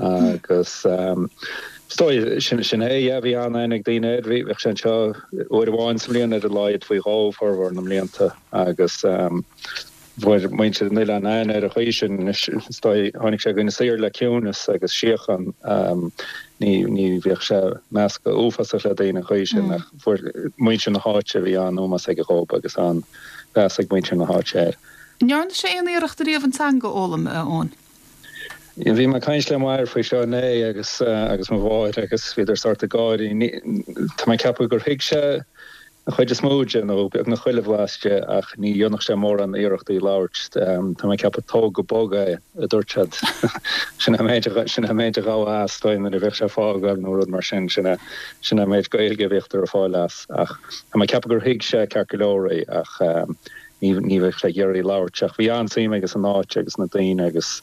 Agus is dóigh, sin, sin é, yeah, bhí an-aithne ag daoine air. Bhí, bheadh sé anseo uair amháin sa mbliain ar a laghad faoi dhó formhór na mblianta agus. Fuair muintir an oileáin aithne air an chaoi sin. Anois, is dóigh, tháinig sé go Inis Oírr le ciúnas agus síocháin. Ní, ní bhíodh sé measctha uafásach le daoine an chaoi sin ach fuair muintir na háite, bhí an-ómós aige dhób agus an-mheas ag muintir na háite air. An ndearna sé aon iarracht ariamh an teanga a fhoghlaim, a Eoin? Bhí mé ag caint le m'athair faoi seo inné agus agus mo mháthair agus bhíodar sórt ag gáirí. Tá mé ag ceapadh gur thuig sé an chuid is mó de, nó beagnach chuile bhlas de, ach ní dhéanfadh sé mórán iarrachtaí labhairt. Tá mé ag ceapadh tóg go bog é, a dúirt siad. Sin é an méid a, sin é an méid a ghabhadh as, dóigh, nuair a bhíodh sé ag fágáil nó rud mar sin. Sin é, sin é an méid Gaeilge a bhíodh ar fáil as. Ach tá mé ag ceapadh gur thuig sé ceart go leor é ach ní, ní bheadh sé ag iarraidh labhairt. Ach bhí an-suim aige san áit agus na daoine agus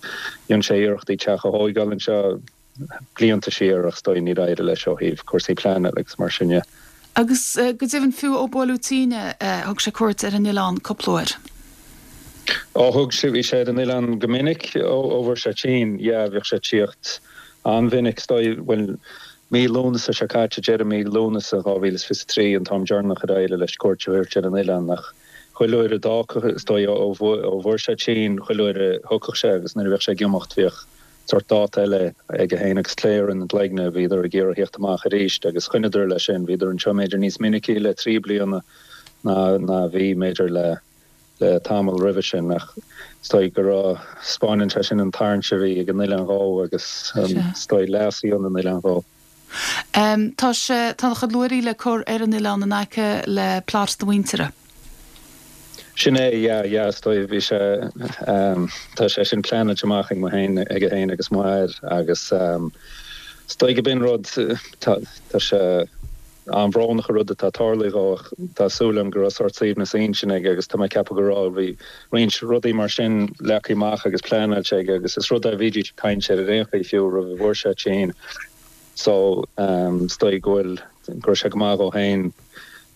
dhein sé iarrachtaí teach a thóigeáil anseo. blianta siar ach is dóigh níor éirigh leis ó thaobh cúrsaí pleanála agus mar sin de. Agus go deimhin fiú ó buaileadh tinn é, thug sé cuairt ar an oileán cúpla uair. Ó thug sé, bhí sé ar an oileán go minic ó bhfuair sé tinn, yeah, bhíodh sé ag tíocht an-mhinic, is dóigh, bhuel, mí Lúnasa seo caite, deireadh mí Lúnasa 2023 an t-am deireanach ar éirigh leis cuairt a thabhairt ar an oileán ach chuile uair a d'fhágfadh, is dóigh, ó bhfuair sé tinn, chuile uair a thiocfadh sé agus nuair a bhíodh sé ag imeacht bhíodh sórt dáta eile aige féin agus Claire ina gcloigne, bhíodar ag iarraidh theacht amach arís agus choinneadar leis sin, bhíodar anseo mb'fhéidir níos minicí le 3 bliana ná ná bhí mb'fhéidir le le tamall roimhe sin ach is dóigh go raibh, 'spáineann sé sin an tarraingt a bhí ag an oileán dhó agus is dóigh leas a dhein an oileán dhó. Tá sé, tá a chuid luaithrí le cur ar an oileán in aice le plot do mhuintire. Sin é, yeah, yeah, is dóigh, bhí sé, tá sé sin pleanáilte amach ag mo fhéin, aige fhéin agus m'athair agus is dóigh go b'in rud, tá, tá sé an-bhrónach an rud atá tarlaithe dhó ach tá súil agam go raibh sórt suaimhneas intinne aige agus tá mé ag ceapadh go raibh, bhí roinnt rudaí mar sin leagtha amach agus pleanáilte aige agus is rud é a bhídís ag caint air ar aon chaoi fiú roimh a bhfuair sé tinn. So, is dóigh go bhfuil, go raibh sé go maith dhó féin,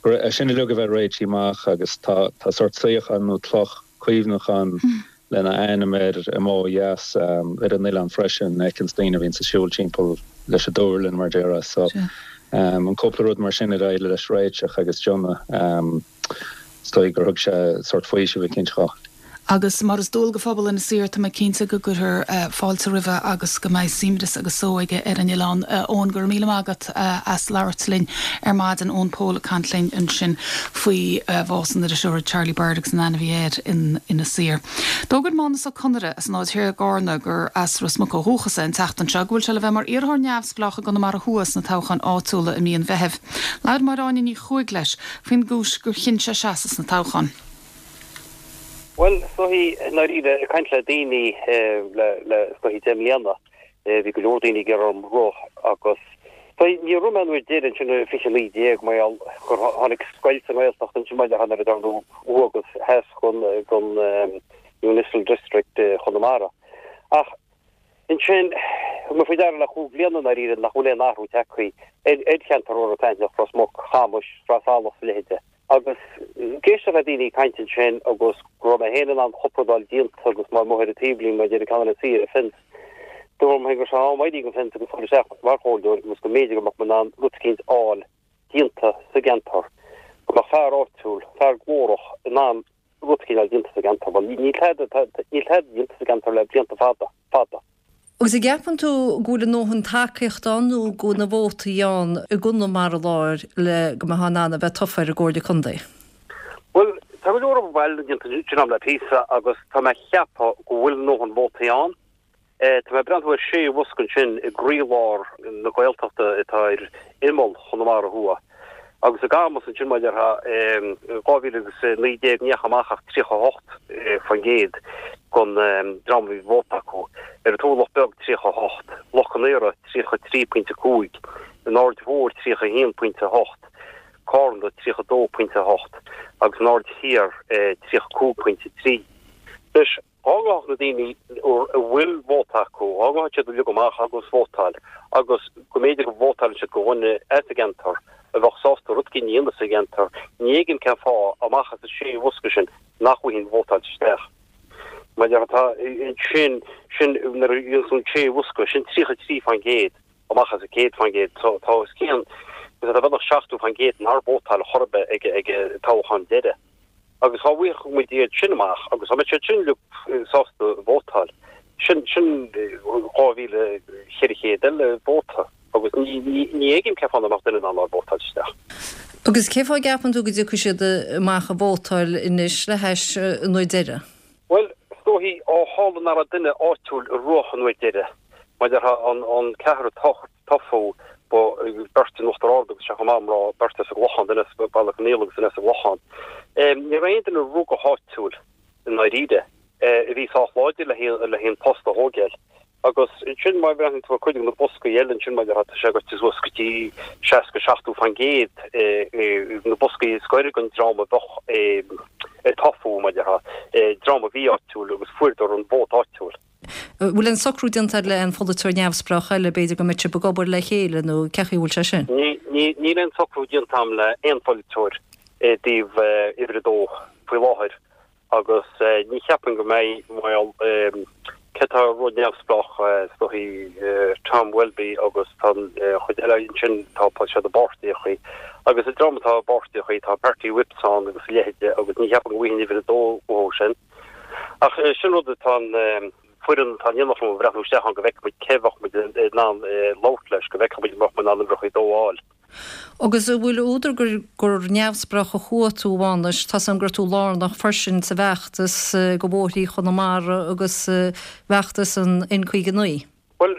go raibh, é sin uilig a bheith réitithe amach agus tá, tá sórt suíochán nó cloch cuimhneacháin lena ainm air amuigh ó dheas ar an oileán freisin, a fheiceanns daoine a bhíonns ag siúl timpeall leis an dúrlann, mar déarfá. So, an cúpla rud mar sin ar éirigh leis réiteach agus déanamh. Is dóigh gur thug sé sórt faoiseamh eicínt dhó. Agus mar is dual do phobal Inis Oírr, tá mé cinnte go gcuirfear fáilte roimhe agus go mbeidh suaimhneas agus só aige ar an oileán. Eoin, go raibh míle maith agat as labhairt linn ar maidin. Eoin Pól ag caint linn ansin faoi bhás an iriseora Charlie Bird agus an aithne a bhí air in Inis Oírr. D'fhógair Mánus Ó Conaire as an Aird Thiar i gCarna, gur as Ros Muc ó dhúchas é, an tseachtain seo go bhfuil sé le bheith mar iarrthóir neamhspleách i gConamara Thuaidh sna toghcháin áitiúla i mí an Mheithimh. Labhair Máire Áine Ní Chuaig leis faoin gcúis gur chinn sé seasamh sna toghcháin. Bhuel, is dóichí, i ndáiríre, ag caint le daoine le, le, is dóichí 10 mbliana, bhí go leor daoine ag iarraidh orm rith agus, is dóichí, níor rith mé an uair deiridh ansin i 2019 mar gheall gur tháinig scoilt sa nGaeltacht ansin mar gheall ar an thuaidh agus theas den, den Municipal District Chonamara. Ach ansin, thug mé faoi deara le chúig bliana i ndáiríre nach bhfuil aon athrú tagtha ar cheantar Iorras Aithneach, Ros Muc, Camas, Sraith Salach is a leithéide. Agus ag éisteacht le daoine ag caint ansin agus go raibh mé féin in ann cúpla rud a fháil déanta agus mé amuigh ar an taobhlíne mar a deir ceann eile ar an fence. Dúirt mé féin go raibh sé in am éirí den fence agus dul isteach mar chomhairleoir agus go mb'fhéidir go mbeadh mé in ann rud eicínt a fháil déanta sa gceantar, go mbeadh fear áitiúil, fear glórach in ann rud eicínt a fháil déanta sa gceantar. Bhuel, níl tada, níl tada déanta sa gceantar le blianta fada, fada. Agus an gceapann tú go bhfuil a ndóthain tacaíochta ann nó go bhfuil na vótaí ann i gConamara Láir le go mbeifeá in ann a bheith tofa ar an gComhairle Contae? Bhuel, tá go leor obair baile déanta ansin agam le píosa agus tá mé ag ceapadh go bhfuil a ndóthain vótaí ann. Tá mé ag breathnú ar sé bhosca ansin i gcroílár na Gaeltachta atá ar imeall Chonamara Thuaidh. Agus i gCamus ansin mar a déarfá, in 2019 ní dheachaigh amach ach 38% den dream a bhí vóta acu. Ar an Turlach Beag 38, Loch Con Aora 33.5, an Aird Mhór 31.8, Carna 32.8 agus an Aird Thiar 35.3. Anois, Dhá ngabhfadh na daoine a bhfuil vóta acu, dhá ngabhfadh siad uilig amach agus vótáil agus go mb'fhéidir go vótáileann siad do dhuine as an gceantar a bheadh sásta rud éigin a dhéanamh sa gceantar, ní fheicim cén fáth, amach as an sé bhosca sin, nach bhfaighinn vótáilte isteach. Mar tá sin, sin, nuair a dhéanann tú an sé bhosca, sin 33% amach as an 100%. So tá os cionn, tá beagnach 70% nár vótáil chor ar bith ag an toghchán deiridh. Agus dhá bhfaigheadh muid iad sin amach agus dá mbeadh siad sin uilig sásta vótáil, sin, sin 2,400 eile vóta agus ní, ní, ní fheicim cén fáth nach mbeadh duine in ann a vótáil isteach. Agus cén fáth a gceapann tú go dtiocfaidh siad amach ag vótáil anois le hais an uair deireadh? Bhuel, is dóichí ó tharla nach raibh duine áitiúil a rith an uair deireadh, mar a déarfá an, an ceathrar a toghadh, ba beirt in Uachtar Ard agus sé chomh maith mná, beirt as an gClochán, duine as Baile Conaola agus duine as an gClochán. Ní raibh aon duine a rith go háitiúil i ndáiríre a bhí sách láidir le haghaidh an post a thógáil. Agus ansin má bhreathnaíonn tú ar cuid de na boscaí eile ansin mar a déarfá tá sé goite suas go dtí 60, 70 fan gcéad na boscaí scoir den dream a bheadh ag toghadh mar a déarfá, dream a bhí áitiúil agus fuaireadar an vóta áitiúil. An bhfuil aon socrú déanta agat le aon pholaiteoir neamhspleách eile, b'fhéidir go mbeidh sibh ag obair le chéile nó cén chaoi a bhfuil sé sin? Níl aon socrú déanta agam le aon pholaiteoir i dtaobh uimhir a dó faoi láthair. Agus ní cheapaim go mbeidh, bhuel, cé atá ag rith neamhspleách, is dóichí Tom Welby agus tá an chuid eile ansin, tá siad i bpáirtíochaí. Agus an dream atá i bpáirtíochaí, tá party whips ann agus a leithide agus ní cheapaim go bhfaighinn uimhir a dó uathu sin. Ach sin rud atá an foireann atá in éineacht liom ag breathnú isteach ann go bhfeicfidh muid cé a bheadh muid in ann labhairt leis, go bhfeicfidh muid an mbeadh muid in ann uimhreacha a dó a fháil. Agus an bhfuil údar gur gur neamhspleách a chuaigh tú, a Mhánais? Tá's agam go raibh tú lárnach freisin sa bhfeachtas do bhóithrí Chonamara agus bhfeachtas an N59. Bhuel,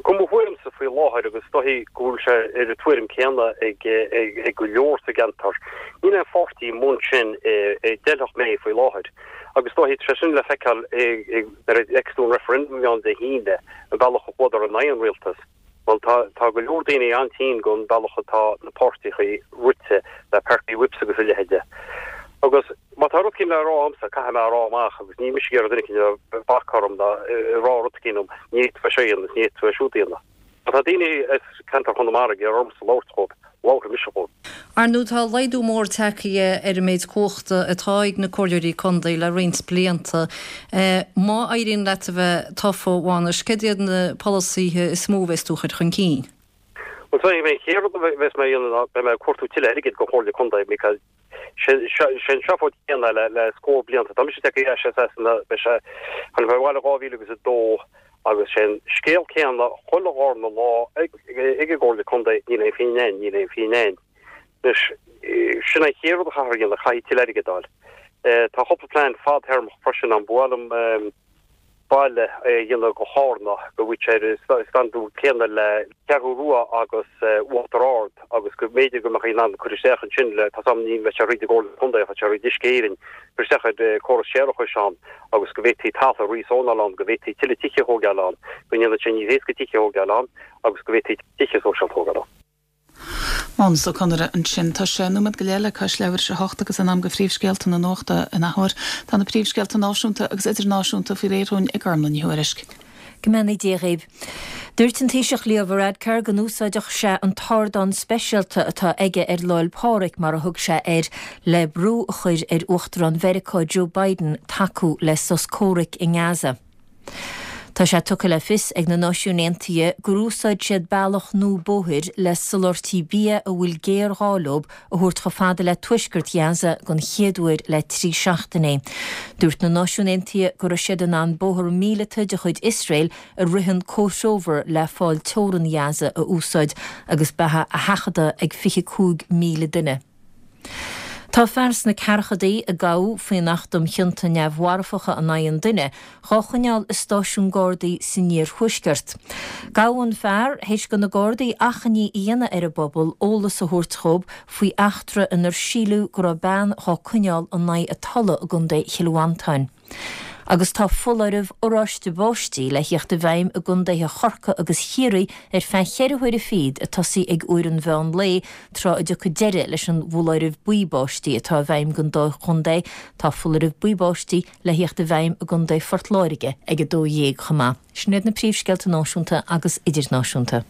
go mo thuairimse faoi láthair, agus is dóichí go bhfuil sé ar an tuairim céanna ag go leor sa gceantar, níl aon pháirtí amuigh ansin a d'fheilfeadh mé faoi láthair. Agus is dóichí tá sé sin le feiceáil nuair a fheiceas tú an referendum a bhí ann Dé hAoine, an bealach a chuadar in aghaidh an rialtais. Bhuel, tá, tá go leor daoine an-tinn gon bealach atá na páirtíochaí rite le party whips agus a leithide. Agus má tá rud eicínt le rá a'msa, caithfidh mé a rá amach agus níl mise ag iarraidh duine eicínt a bhac orm ná ag rá rud eicínt dom, ní fhéadfá seo a dhéanamh is ní fhéadfá é siúd a dhéanamh. Má tá daoine as ceantar Chonamara ag iarraidh ormsa labhairt dhóibh, labharfaidh mise dhóibh. Ar ndóigh, tá laghdú mór tagtha ar an méid cumhachta atá ag na comhairleoirí contae le roinnt blianta. Má éiríonn leat a bheith tofa, a Mhánais, céard iad na polasaithe is mó a bheas tú a chur chun cinn? Bhuel, is é an chéad rud a bheas mé a dhéanamh ná beidh mé ag cuartú tuilleadh airgid don Chomhairle Contae because sé an seafóid chéanna le scór blianta. Tá mise tagtha ar ais as Sasana, beidh sé, tháinig mé abhaile 2000 agus 2 agus sé an scéal céanna chuile dhárna lá ag an gComhairle Contae, níl aon phingin a'inn, níl aon phingin a'inn. Anois, sin an chéad rud a chaithfear a dhéanamh, caithfidh tuilleadh airgid a fháil. Tá cúpla plean fadthéarmach freisin ann, ba mhaith liom baile a dhéanamh go Chárna, go bhfuil sé ar an standún céanna le Ceathrú Rua agus Uachtar Ard agus go mb'fhéidir go mbeadh in ann cur isteach ansin le, tá 's a'm ní bheidh sé thríd an gComhairle Contae ach tá sé thríd Uisce Éireann, cur isteach ar córas séarachais ann agus go bhféadfaí talamh a rízónáil ann, go bhféadfaí tuilleadh tithe a thógáil ann, go ndéanfadh sé níos éasca tithe a thógáil ann agus go bhféadfaí tithe sóisialta a thógáil ann. Mánas Ó Conaire ansin. Tá sé nóiméad go leith le cois leathuair tar éis a hocht agus in am do phríomhscéalta na nuachta in athuair. Tá na príomhscéalta náisiúnta agus idirnáisiúnta faoi réir dhúinn ag Gormlaith Ní Thuairisg. Go mbeannaí Dia dhaoibh. Dúirt an Taoiseach Leo Varadkar go n-úsáidfeadh sé an t-ardán speisialta atá aige ar Lá 'le Pádraig, mar a thug sé air, le brú a chur ar Uachtarán Mheiriceá Joe Biden tacú le sos comhraic i nGaza. Tá sé tugtha le fios ag na Náisiúin Aontaithe gur úsáid siad bealach nua bóthair le soláthairtí bia a bhfuil géarghá leo a thabhairt chomh fada le tuaisceart Ghaza den chéad uair le 3 seachtainí. Dúirt na Náisiúin Aontaithe go raibh siad in ann bóthar míleata de chuid Iosrael a ritheann comhthreomhar le fál teorann Ghaza a úsáid agus beatha a sheachadadh ag 25,000 duine. Tá fear sna ceathrachadaí, a gabhadh faoin Acht um Chionta Neamh-Mharfacha in Aghaidh an Duine, dhá choinneáil i stáisiún Gardaí san iarthuaisceart. Gabhadh an fear théis do na Gardaí achainí a dhéanamh ar an bpobal eolas a thabhairt dhóibh faoi eachtra inar síleadh go raibh bean dhá coinneáil in aghaidh a tola i gContae Chill Mhantáin. Agus tá foláireamh oráiste báistí le thíocht i bhfeidhm i gcontaetha Chorcaí agus Chiarraí ar feadh cheithre huaire fichead ag tosaí ag uair an mheán lae, tráth a dtiocfaidh deireadh leis an bhfoláireamh buí báistí atá i bhfeidhm don dá chontae. Tá foláireamh buí báistí le thíocht i bhfeidhm i gcontae Phort Láirge ag 12 chomh maith. Sin iad na príomhscéalta náisiúnta agus idirnáisiúnta.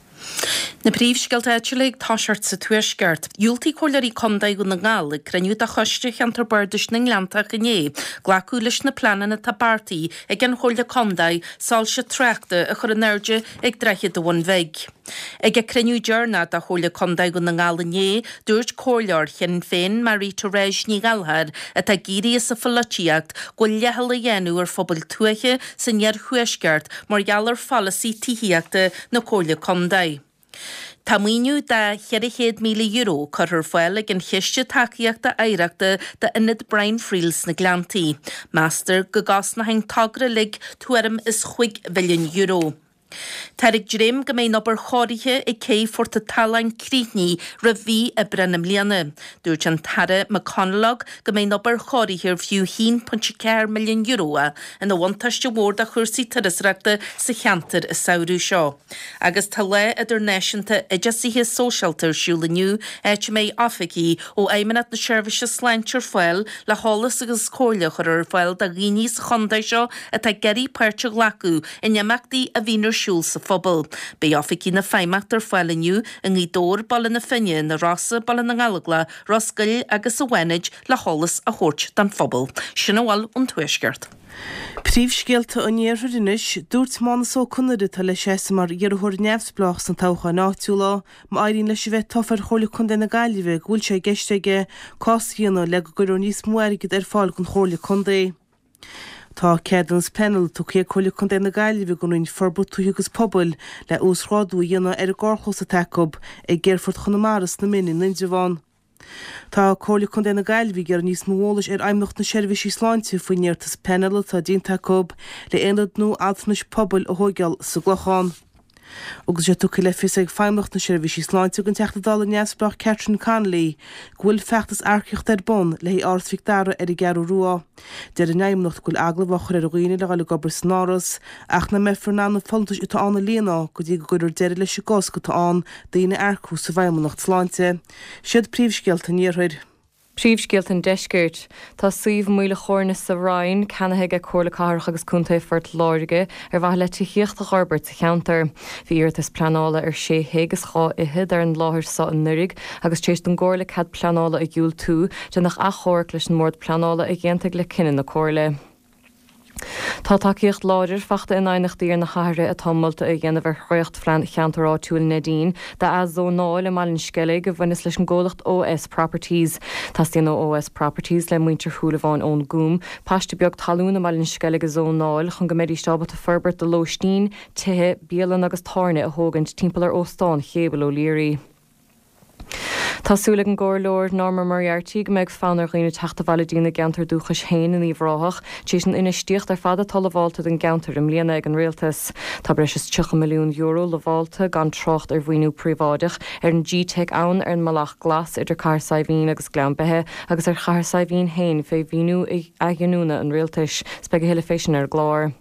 Na príomhscéalta áitiúla ag toiseacht sa Tuaisceart. Dhiúltaigh Comhairleoirí Contae Dhún na nGall ag cruinniú de Choiste Cheantar Bardais na nGleanntach inné glacadh leis na pleananna atá beartaithe ag an Chomhairle Contae soilse tráchta a chur in airde ag Droichead an Bhun Bhig. Ag a cruinniú deireanach de Chomhairle Contae Dhún na nGall inné, dúirt comhairleoir Shinn Féin, Marie Therese Ní Ghallchóir, atá ag éirí as an pholaitíocht, go bhfuil leithcheal á dhéanamh ar phobail tuaithe san iarthuaisceart mar gheall ar pholasaí tithíochta na Comhairle Contae. Tá maoiniú de €400,000 curtha ar fáil ag an Chiste Tacaíochta Oidhreachta d'Ionad Brian Friel sna Gleanntaí. Meastar go gcosnóidh an togra uilig tuairim is chúig mhilliún euro. Táthar ag dréim go mbeidh an obair chóirithe ag cé Phort an tSalann críochnaithe roimh mhí Aibreán i mbliana. Dúirt an tAire McConalogue go mbeidh an obair chóirithe ar fiú €1.4 milliún é ina bhuntáiste mhór do chúrsaí turasóireachta sa cheantar an samhradh seo. Agus tá Lá Idirnáisiúnta Oideasaithe Sóisialta ar siúl inniu, áit a mbeidh oifigigh ó Fheidhmeannacht na Seirbhíse Sláinte ar fáil le heolas agus comhairle a chur ar fáil do dhaoine sa chontae seo atá ag iarraidh páirt a ghlacadh in imeachtaí a bhíonn ar siúl sa phobal. Beidh oifigigh na Feidhmeannachta ar fáil inniu i nGaoth Dobhair, Baile na Finne, Na Rosa, Baile na nGallóglach, Ros Goill agus sa bhFánaid le heolas a thabhairt don phobal. Sin a bhfuil ón Tuaisceart. Príomhscéalta an Iarthair anois. Dúirt Mánus Ó Conaire, atá le seasamh mar iarrthóir neamhspleách sna toghcháin áitiúla, má éiríonn leis a bheith tofa ar Chomhairle Contae na Gaillimhe, go bhfuil sé i gceist aige cás a dhéanamh le go gcuirfear níos mó airgid ar fáil don Chomhairle Contae. Tá ceadúnas pleanála tugtha ag Comhairle Contae na Gaillimhe don Roinn Forbartha Tuaithe agus Pobail le uasghrádú a dhéanamh ar an gcarrchlós atá acu ag Aerfort Chonamara sna Mine in Indreabhán. Tá Comhairle Contae na Gaillimhe ag iarraidh níos mó eolais ar Fheidhmeannacht na Seirbhísí Sláinte faoin iarratas pleanála atá déanta acu le aonad nua altranais pobail a thóigeáil sa gClochán. Agus é tugtha le fios ag Feidhmeannacht na Seirbhísí Sláinte don Teachta Dála neamhspleách Catherine Connolly go bhfuil feachtas earcaíochta ar bun le haghaidh Áras Mhic Dara ar an gCeathrú Rua. Deir an Fheidhmeannacht go bhfuil agallamh á chur ar dhaoine le dhul ag obair san Áras ach nach mbeifear in ann na folúntais atá ann a líonadh go dtí go gcuirfear deireadh leis an gcosc atá ann daoine a earcú sa bhFeidhmeannacht Sláinte. Siad príomhscéalta an Iarthair. Príomhscéalta an Deiscirt. Tá suíomh Maoil a' Chóirne sa Rinn ceannaithe aige Comhairle Cathrach agus Contae Phort Láirge ar mhaithe le tithíocht a dh'fhorbairt sa cheantar. Bhí iarratas pleanála ar sé thigh is dhá fhichead ar an láthair so anuraidh agus tar éis don gComhairle cead pleanála a dhiúltú, déanadh achomharc leis an mBord Pleanála a d'aontaigh le cinneadh na Comhairle. Tá tacaíocht láidir fachta in aighneachtaí ar na hathruithe atá molta a dhéanamh ar dhréachtphlean Cheantar Áitiúil Neidín d'ath-zónáil i mBaile an Sceilg a bhaineas leis an gcomhlacht OS Properties. Teastaíonn ó OS Properties le muintir Shúilleabháin ón gCúm, paiste beag talún i mBaile an Sceilg a zónáil chun go mbeidís ábalta forbairt do lóistín, tithe, bialanna agus tábhairne a thógaint timpeall ar Óstán Chéibh O'Leary. Tá súil ag an gComhairleoir Norma Moriarty go mbeidh fonn ar dhaoine teacht abhaile dtína gceantar dúchais féin in Uíbh Ráthach tar éis an infheistíocht ar fad atá lamhálta don gceantar i mbliana ag an Rialtas. Tá breis is €30 milliún lamhálta, gan trácht ar mhaoiniú príobháideach, ar an G-Teic ann, ar an mBealach Glas idir Cathair Saidhbhín agus Gleann Beithe agus ar Chathair Saidhbhín féin fé mhaoiniú athghiniúna an Rialtais. 'S beidh a thuilleadh fé sin ar an gclár.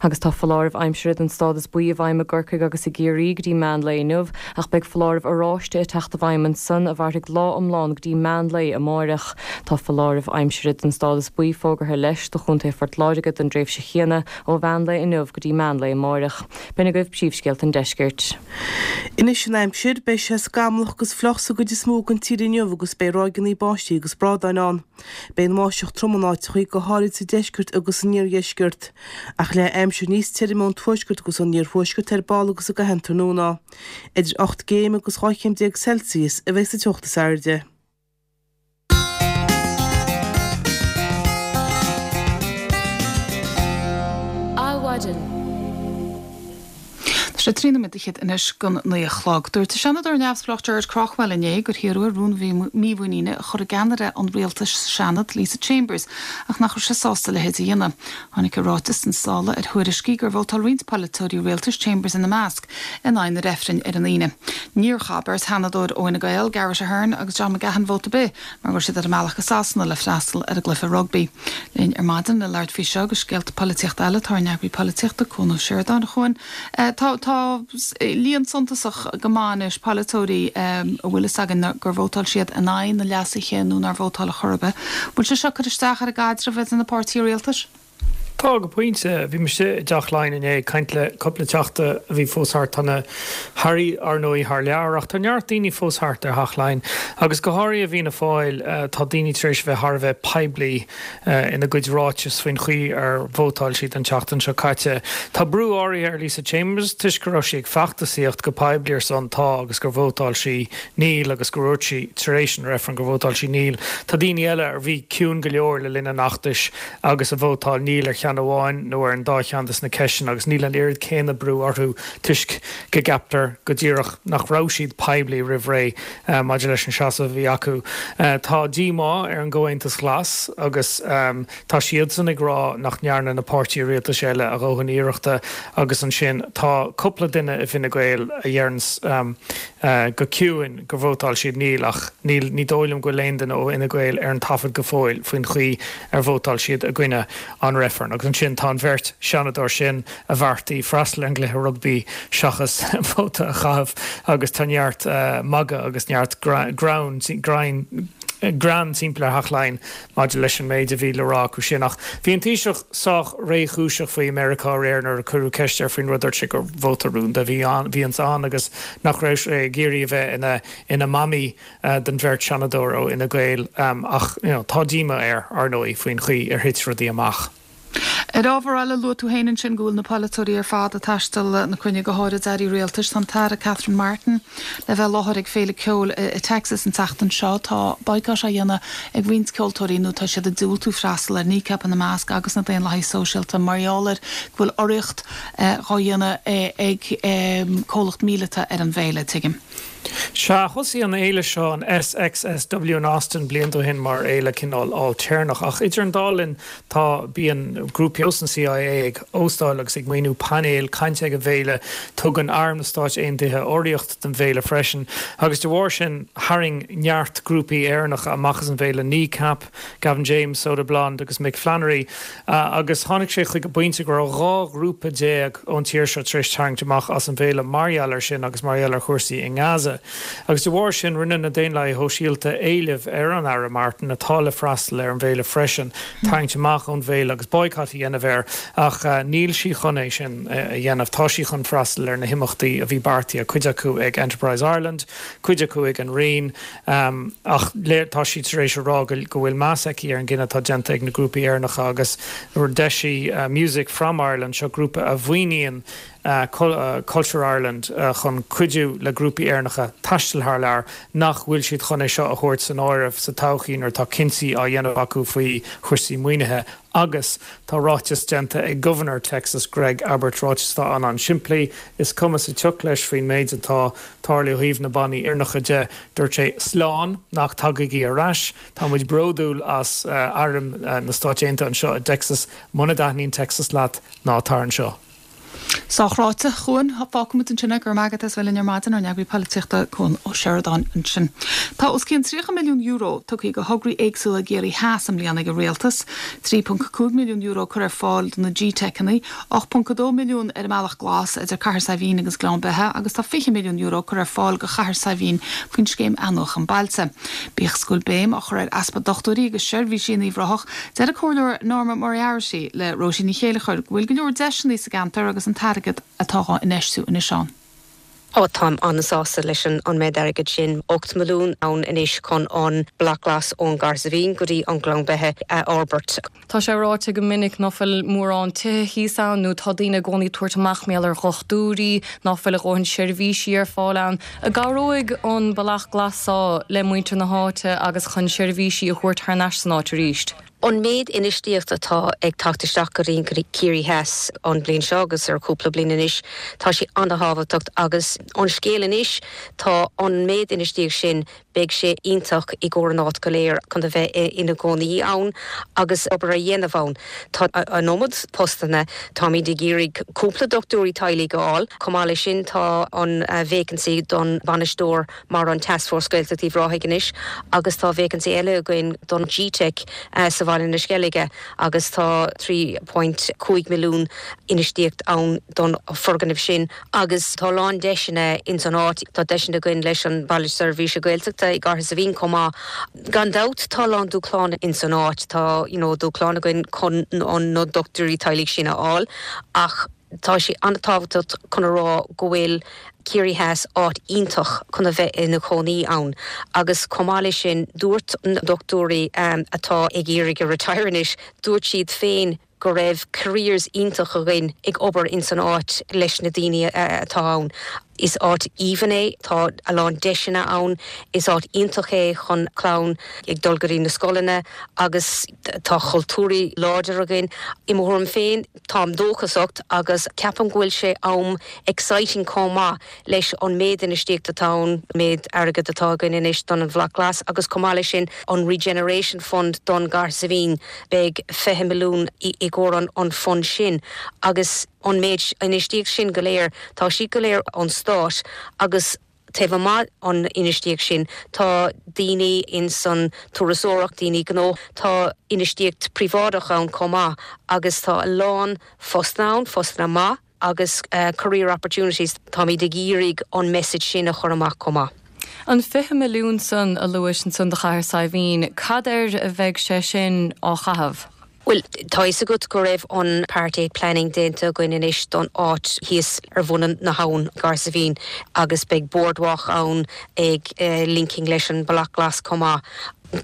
Agus tá foláireamh aimsire den stádas buí i bhfeidhm i gCorcaigh agus i gCiarraí go dtí meán lae inniu, ach beidh foláireamh oráiste ag teacht i bhfeidhm ansan a mhairfidh lá iomlán go dtí meán lae amáireach. Tá foláireamh aimsire den stádas buí fógartha leis do Chontae Phort Láirge don dtréimhse chéanna ó mheán lae inniu go dtí meán lae amáireach. B'in agaibh príomhscéalta an deiscirt. Anois an aimsir, beidh sé scamallach agus fliuch sa gcuid is mó den tír inniu agus beidh ráigeanna báistí agus brádáin ann. Beidh an bháisteach trom in áiteachaí, go háirid sa deisceart agus san iardheisceart. Ach leathfaidh aimsir níos tirime ón tuaisceart agus ón iarthuaisceart ar ball agus i gcaitheamh an tráthnóna. Idir 8 gcéim agus 12 chéim Celsius a bheidh sa teocht is airde. Adhmhaidin. Tá sé 13 nóiméad anois don 9 a chlog. Dúirt an Seanadóir neamhspleách Gerard Craughwell inné gur hiarradh air rún mímhuiníne a chur i gceannaire an rialtais sa Seanad, Lisa Chambers, ach nach raibh sé sásta a leithéid a dhéanamh. Tháinig a ráiteas sna sála ar thuairiscí gur vótáil roinnt polaiteoirí rialtais, Chambers ina measc, in aghaidh na reifrinn ar an Aoine. Níor chaith beirt Sheanadóir ó Fhine Gael, Garret Ahern agus John McGahon vóta ar bith mar go raibh siad ar a mbealach go Sasana le freastal ar an gcluiche rugbaí. Linn ar maidin le labhairt faoi seo agus scéalta polaitíochta eile tá ár n-eagraí polaitíochta, Cuan Ó Seireadáin. A Chuain, tá tá líon suntasach go maith anois polaiteoirí a bhfuil fhios againn gur vótáil siad in aghaidh na leasuithe nó nár vótáil ar chor ar bith. Bhfuil sé seo ag cur isteach ar an gcaidreamh idir na páirtithe rialtais? Tá, go pointe. Bhí mise i dTeach Laighean inné ag caint le cúpla teachta a bhí fós thart. Tá na hairí, ar ndóigh, thar lear ach tá neart daoine fós thart ar Theach Laighean agus go háirithe i bhFianna Fáil tá daoine tar éis a bheith thar a bheith poiblí ina gcuid ráiteas faoin chaoi ar vótáil siad an tseachtain seo caite. Tá brú áirithe ar Lisa Chambers toisc go raibh sí ag feachtasaíocht go poiblí ar son 'Tá' agus gur vótáil sí 'Níl' agus gur dhúirt sí tar éis an reifrinn gur vótáil sí 'Níl'. Tá daoine eile a bhí ciúin go leor le linn an fheachtais agus a vótáil Níl ar cheann amháin nó ar an dá cheann de na ceisteanna agus níl an oiread céanna brú orthu toisc go gceaptar go díreach nach raibh siad poiblí roimh ré maidir leis an seasamh a bhí acu. Tá díomá ar an gComhaontas Glas agus tá siadsan ag rá nach ndearna na páirtithe rialtais eile a dhóthain iarrachta agus ansin tá cúpla duine i bhFine Gael a dheireanns go ciúin gur vótáil siad Níl ach níl ní dóigh liom go bhfuil aon duine ó Fhine Gael ar an taifead go fóill faoin chaoi ar vótáil siad i gcoinne an reifrinn. Agus ansin tá an bheirt Seanadóir sin a bheartaigh freastal ar an gcluiche rugbaí seachas vóta a chaitheamh agus tá neart magadh agus neart greann greann timpeall ar Theach Laighean maidir leis an méid a bhí le rá acu sin. Ach bhí an Taoiseach sách réchúiseach faoi Meiriceá aréir nuair a cuireadh ceist air faoin rud. Dúirt sé gur vóta rúnda a bhí bhíonns ann agus nach raibh sé ag iarraidh a bheith ina ina mamaí don bheirt Seanadóir ó Fhine Gael ach you know tá díomá air, ar ndóigh, faoin chaoi ar thit rudaí amach. Ar ábhar eile, luaigh tú féin ansin go bhfuil na polaiteoirí ar fad ag taisteal na cruinne, go háirid airí rialtais. Tá an tAire Catherine Martin le bheith i láthair ag féile ceoil i Texas an tseachtain seo. Tá boycott á dhéanamh ag roinnt ceoltóirí nó tá siad ag diúltú freastal air, Kneecap ina measc agus na Daonlathaigh Sóisialta, mar gheall ar go bhfuil urraíocht dhá dhéanamh ag comhlacht míleata ar an bhféile, tuigim. Sea, thosaigh an fhéile seo, an SXSW in Austin, blianta ó shin mar fhéile cineál ailtéarnach, ach idir an dá linn tá, bíonn grúpaí ar nós an CIA ag óstáil agus ag maoiniú painéil cainte ag an bhféile, tugann Arm na Stáit Aontaithe urraíocht don bhféile freisin, agus de bharr sin tharraing neart grúpaí Éireannacha amach as an bhféile, Kneecap, Gavin James, Soda Blonde agus Mick Flannery, agus tháinig sé chuig an bpointe go raibh 12 ghrúpa ón tír seo tar éis tarraingt amach as an bhféile mar gheall air sin agus mar gheall ar chúrsaí i nGaza. Agus de bharr sin, rinne na Daonlathaithe Shóisialta éileamh ar an Aire Martin, atá le freastal ar an bhféile freisin, tarraingt amach ón bhféile agus boycott a dhéanamh air. Ach níl sí chun é sin a dhéanamh. Tá sí chun freastal ar na himeachtaí a bhí beartaithe, cuid acu ag Enterprise Ireland, cuid acu ag an Roinn. Ach tá sí tar éis a rá go bhfuil meas aici ar an gcinneadh atá déanta ag na grúpaí Éireannacha agus d'eisigh Music From Ireland, seo grúpa a mhaoiníonn Culture Ireland chun cuidiú le grúpaí Éireannacha taisteal thar lear, nach bhfuil siad chun é seo a thabhairt san áireamh sa todhchaí nuair atá cinntí á dhéanamh acu faoi chúrsaí maoinithe. Agus tá ráiteas déanta ag Gobharnóir Texas, Greg Abbott, ráiteas atá an-an-simplí, is cuma sa tsioc leis faoin méid atá tarlaithe ó thaobh na bannaí Éireannacha de. Dúirt sé, Slán, nach dtagaigí ar ais. Tá muid bródúil as Arm na Stáit Aontaithe anseo i dTexas. Muna dtaitníonn Texas leat, ná tar anseo. Sách ráite, a Chuain. Fágfaimid ansin é. Go raibh maith agat as bheith linn ar maidin, ár n-eagraí polaitíochta, Cuan Ó Seireadáin ansin. Tá os cionn €30 milliún tugtha do thograí éagsúla i gCiarraí Theas i mbliana ag an Rialtas. €3.5 milliún curtha ar fáil do na G-Teiceanna, €8.2 milliún ar an mBealach Glas idir Cathair Saidhbhín agus Gleann Beithe agus tá €20 milliún curtha ar fáil do Chathair Saidhbhín faoin scéim Athnuachan Bailte. Bíodh is go bhfuil béim á chur ar easpa dochtúirí agus seirbhísí in Uíbh Ráthach, Deir an Comhairleoir Norma Moriarty le Róisín Ní Chéilleachair go bhfuil go leor deiseanna sa gceantar agus an t-airgead atá á infheistiú anois ann. Ó, táim an-sásta leis an méid airgid sin, 8 milliún ann anois chun an Bealach Glas ón gCathair Saidhbhín go dtí an Gleann Beithe a fhorbairt. Tá sé ráite go minic ná fuil mórán tithe thíos ann nó tá daoine i gcónaí ag tabhairt amach mar gheall ar dhochtúirí, ná fuil a dhóthain seirbhísí ar fáil ann. An gcabhróidh an Bealach Glas seo le muintir na háite agus chun seirbhísí a thabhairt thar n-ais san áit arís? An méid infheistíocht atá ag teacht isteach go dtí Ciarraí Theas an bhliain seo agus ar chúpla bliain anois, tá sé an-thábhachtach agus an scéal anois, tá an méid infheistíocht sin, beidh sé iontach i gcomhair an áit go léir chun a bheith ina gcónaí ann agus obair a dhéanamh ann. Tá an iomad postanna, táimid ag iarraidh cúpla dochtúirí teaghlaigh a fháil. Chomh maith leis sin tá an vacancy don bhainisteoir mar an Taskforce Gaeltacht Uíbh Ráthaigh anois agus tá vacancy eile againn don G-Teic sa bhaile. Bhaile na Sceilge agus tá 3.5 milliún infheistíocht ann don foirgneamh sin agus tá a lán deiseanna ins an áit. Tá deiseanna againn leis an Baile Seirbhíse Gaeltachta i gCathair Saidhbhín chomh maith. Gan dabht tá a lán dúshláin ins an áit. Tá you know dúshláin againn chun na dochtúirí teaghlaigh sin a fháil ach tá sé an-tábhachtach chun a rá go bhfuil Ciarraí Theas áit iontach chun a bheith ina chónaí ann agus chomh maith leis sin dúirt na dochtúirí atá ag iarraidh a retire anois, dúirt siad féin go raibh careers iontach againn ag obair ins an áit leis na daoine atá ann. Is áit aoibhinn é, tá a lán deiseanna ann, is áit iontach é chun clann ag dul go dtí na scoileanna agus tá cultúr láidir againn. I mo thuairim féin, táim dóchasach agus ceapaim go bhfuil sé am exciting chomh maith leis an méid infheistíocht atá ann, méid airgead atá againn anois don an Bhrat Glas agus chomh maith leis sin an Regeneration Fund don gCathair Saidhbhín, beidh 20 milliún i gcomhair an fund sin agus an méid infheistíocht sin go léir, tá siad go léir ón stát agus taobh amuigh an infheistíocht sin tá daoine ins an turasóireacht, daoine gnó, tá infheistíocht príobháideach ann chomh maith agus tá a lán postanna ann, postanna maith. agus career opportunities, táimid ag iarraidh an message sin a chur amach chomh maith. An 20 milliún san a luais ansan do Chathair Saidhbhín, cad air a bheidh sé sin á chaitheamh? Bhuel, tá fhios agat go raibh an Part 8 planning déanta againn anois don áit thíos ar bhun na habhann, gCathair Saidhbhín, agus beidh boardwalk ann ag linking leis an Bealach Glas chomh maith.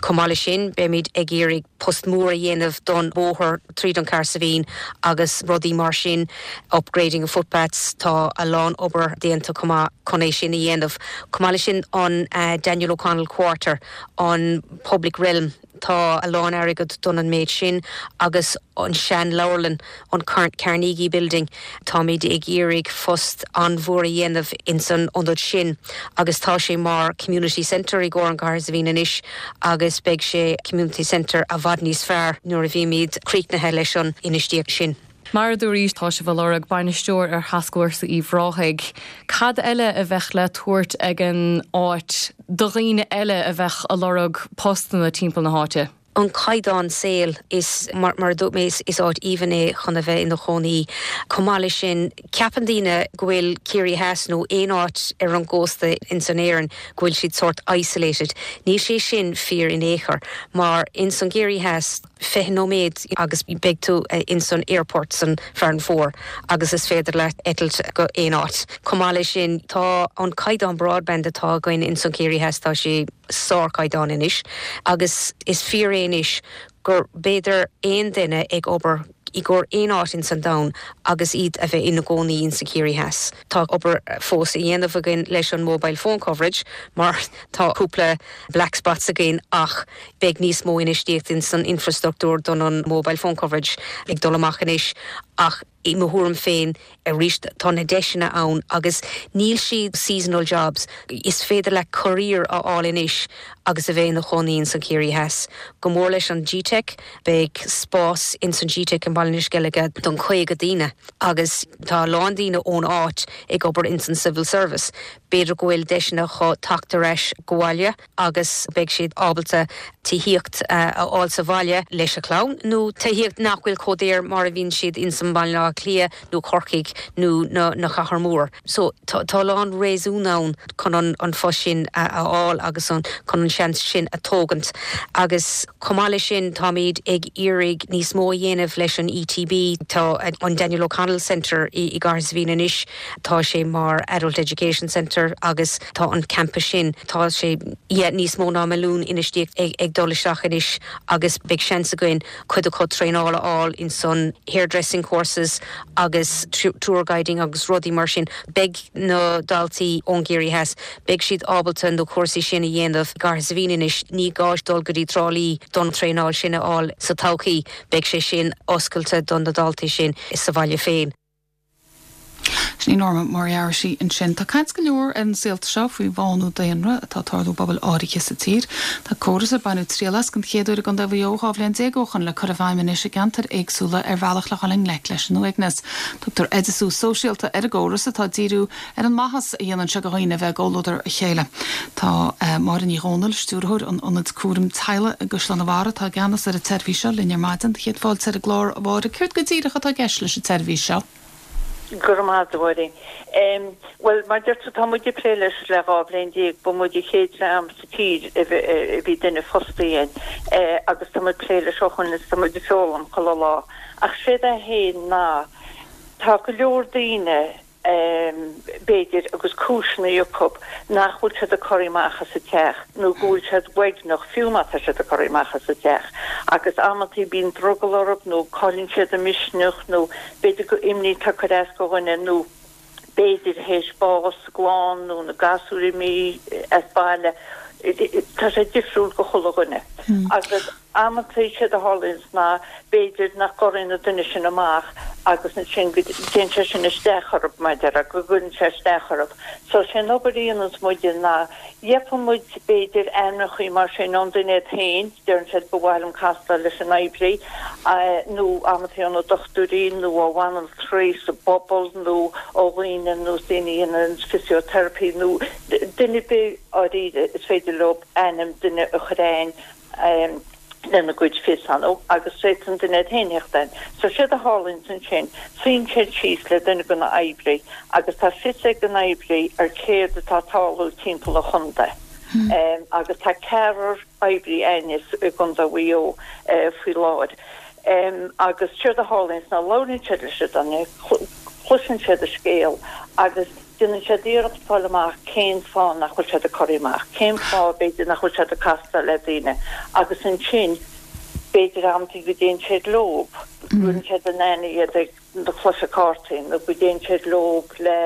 Chomh maith leis sin, beimid ag iarraidh post mór a dhéanamh don bhóthar tríd an Chathair Saidhbhín agus rudaí mar sin, upgrading of footpaths, tá a lán obair déanta chomh maith chun é sin a dhéanamh. Chomh maith leis sin, an Daniel O'Connell Quarter, an public realm, tá a lán airgead don an méid sin agus an sean leabharlann, an Carnegie Building, táimid ag iarraidh post an-mhór a dhéanamh ins an ionad sin agus tá sé mar community centre i gcomhair an Chathair Saidhbhín anois agus beidh sé community centre i bhfad níos fearr nuair a bhímid críochnaithe leis an infheistíocht sin. Mar a dúraís, tá sibh ag lorg bainisteoir ar Thascfhórsa Uíbh Ráthaigh. Cad eile a bheadh le tabhairt ag an áit do dhaoine eile a bheadh ag lorg postanna timpeall na háite? an caighdeán saoil is, mar a dúirt mé, is áit aoibhinn é chun a bheith ina chónaí. Chomh maith leis sin, ceapann daoine go bhfuil Ciarraí Theas nó aon áit ar an gcósta ins an Éirinn go bhfuil siad sórt isolated. Níl sé sin fíor in aon chor, mar ins an gCiarraí Theas, 20 nóiméad agus beidh tú ins an airport san Farranfore agus is féidir leat eitilt go aon áit. Chomh maith leis sin, tá an caighdeán broadband atá againn ins an Ciarraí Theas, tá sé. sárchaighdeán anois agus is fíor é anois gur b'fhéidir aon duine ag obair i gcomhair aon áit ins an domhan agus iad a bheith ina gcónaí ins an Ciarraí Theas. Tá obair fós a dhéanamh againn leis an mobile phone coverage mar tá cúpla black spots againn ach beidh níos mó infheistíocht ins an infrastruchtúr don an mobile phone coverage ag dul amach anois ach I mo thuairim féin, arís, tá na deiseanna ann agus níl siad seasonal jobs. Is féidir leat career a fháil anois agus a bheith ina chónaí ins an Ciarraí Theas. Go mór leis an GTeic, beidh spás ins an GTeic i mBaile na Sceilge don 50 daoine agus tá a lán daoine ón áit ag obair ins an civil service. B'fhéidir go bhfuil deiseanna acu teacht ar ais go bhaile. agus beidh siad ábalta tithíocht a fháil sa bhaile leis a chlann, nó tithíocht nach bhfuil chomh daor mar a bhíonn siad ins an mBaile Átha Cliath nó Corcaigh nó na chathair mór. So tá a lán réasún ann chun an phost sin a fháil agus chun an seans sin a tógaint. Agus chomh maith leis sin táimid ag iarraidh níos mó a dhéanamh leis an ETB. Tá an Daniel O'Connell Centre i gCathair Saidhbhín anois. Tá sé mar Adult Education Centre agus tá an campas sin, tá sé, yeah, níos mó ná milliún infheistíocht ag dul isteach anois agus beidh seans againn cuid acu traenáil a fháil in san hairdressing courses agus tour guiding agus rudaí mar sin. Beidh na daltaí ón gCiarraí Theas, beidh siad ábalta na cúrsaí sin a dhéanamh i gCathair Saidhbhín anois, ní gá dul go dtí Trá Lí don traenáil sin a fháil sa todhchaí, beidh sé sin oscailte do na daltaí sin sa bhaile féin. Sin í Norma Moriarty ansin. Tá caint go leor ar na saolta seo faoi bhánú daonra atá ag tarlú i bpobail áirithe sa tír. Tá córas ar baineadh triail as den chéad uair i gContae Mhaigh Eo 12 bhliain ó shoin le cur i bhfeidhm anois i gceantair éagsúla ar bhealach le dhul i ngleic leis an uaigneas. Tugtar oideasú sóisialta ar an gcóras atá ag díriú ar an maitheas a dhéanann sé do dhaoine a bheith i gcomhluadar a chéile. Tá Máire Ní Dhomhnaill, Stiúrthóir an Ionaid Cúraim Teaghlaigh i gCaisleán an Bharraigh, atá i gceannas ar an tseirbhís seo, linn ar maidin. Céad fáilte ar an gclár, a Mháire. Céard go díreach atá i gceist leis an tseirbhís seo? Go raibh maith agat, a Mháirín. Bhuel, mar a deir tú, tá muid ag plé leis le 12 bhliain. Ba muid an chéad dream sa tír a bhí duine fostaithe againn agus tá muid ag plé leis ó shoin is tá muid ag foghlaim chuile lá. Ach séard é féin ná tá go leor daoine, b'fhéidir, agus cúiseanna acu nach bhfuil siad ag corraí amach as an teach nó go bhfuil siad uaigneach fiú má tá siad ag corraí amach as an teach agus amantaí bíonn drogall orthu nó cailleann siad a misneach nó b'fhéidir go imní atá ag cur as do dhuine nó b'fhéidir théis bás sa gclann nó na gasúir imithe as baile, tá sé difriúil go chuile dhuine agus amantaí séard a tharlaíonns ná b'fhéidir nach gcorraíonn an duine sin amach agus ansin go dtéann sé sin isteach orthu, mar a déarfá, go gcuireann sé isteach orthu. So sé an obair a dhéananns muide ná gheobhann muid b'fhéidir ainmneachaí mar sin ón duine iad féin, deireann siad ba mhaith liom castáil leis an oibrí, nó amantaí ó na dochtúirí nó ó bhanaltraí sa bpobal nó ó dhaoine nó daoine a dhéanann physiotherapy nó duine ar bith dáiríre is féidir leo ainm duine a chur a'ainn lena gcuid fios agus féadann an duine iad féin theacht a'ainn. So séard a tharlaíonns ansin, suíonn siad síos le duine de na oibrí agus tá fios ag an oibrí ar céard atá ag tarlú timpeall an chontae agus tá ceathrar oibrí a'ainne i gContae Mhaigh Eo faoi láthair. Agus séard a tharlaíonns ná labhraíonn siad leis an duine, cloiseann siad a scéal agus déanann siad iarracht fáil amach cén fáth nach bhfuil siad ag corraí amach, cén fáth b'fhéidir nach bhfuil siad ag castáil le daoine agus ansin b'fhéidir amantaí go dtéann siad leob, go gcuireann siad in aithne iad ag na cluiche cártaí nó go dtéann siad leob le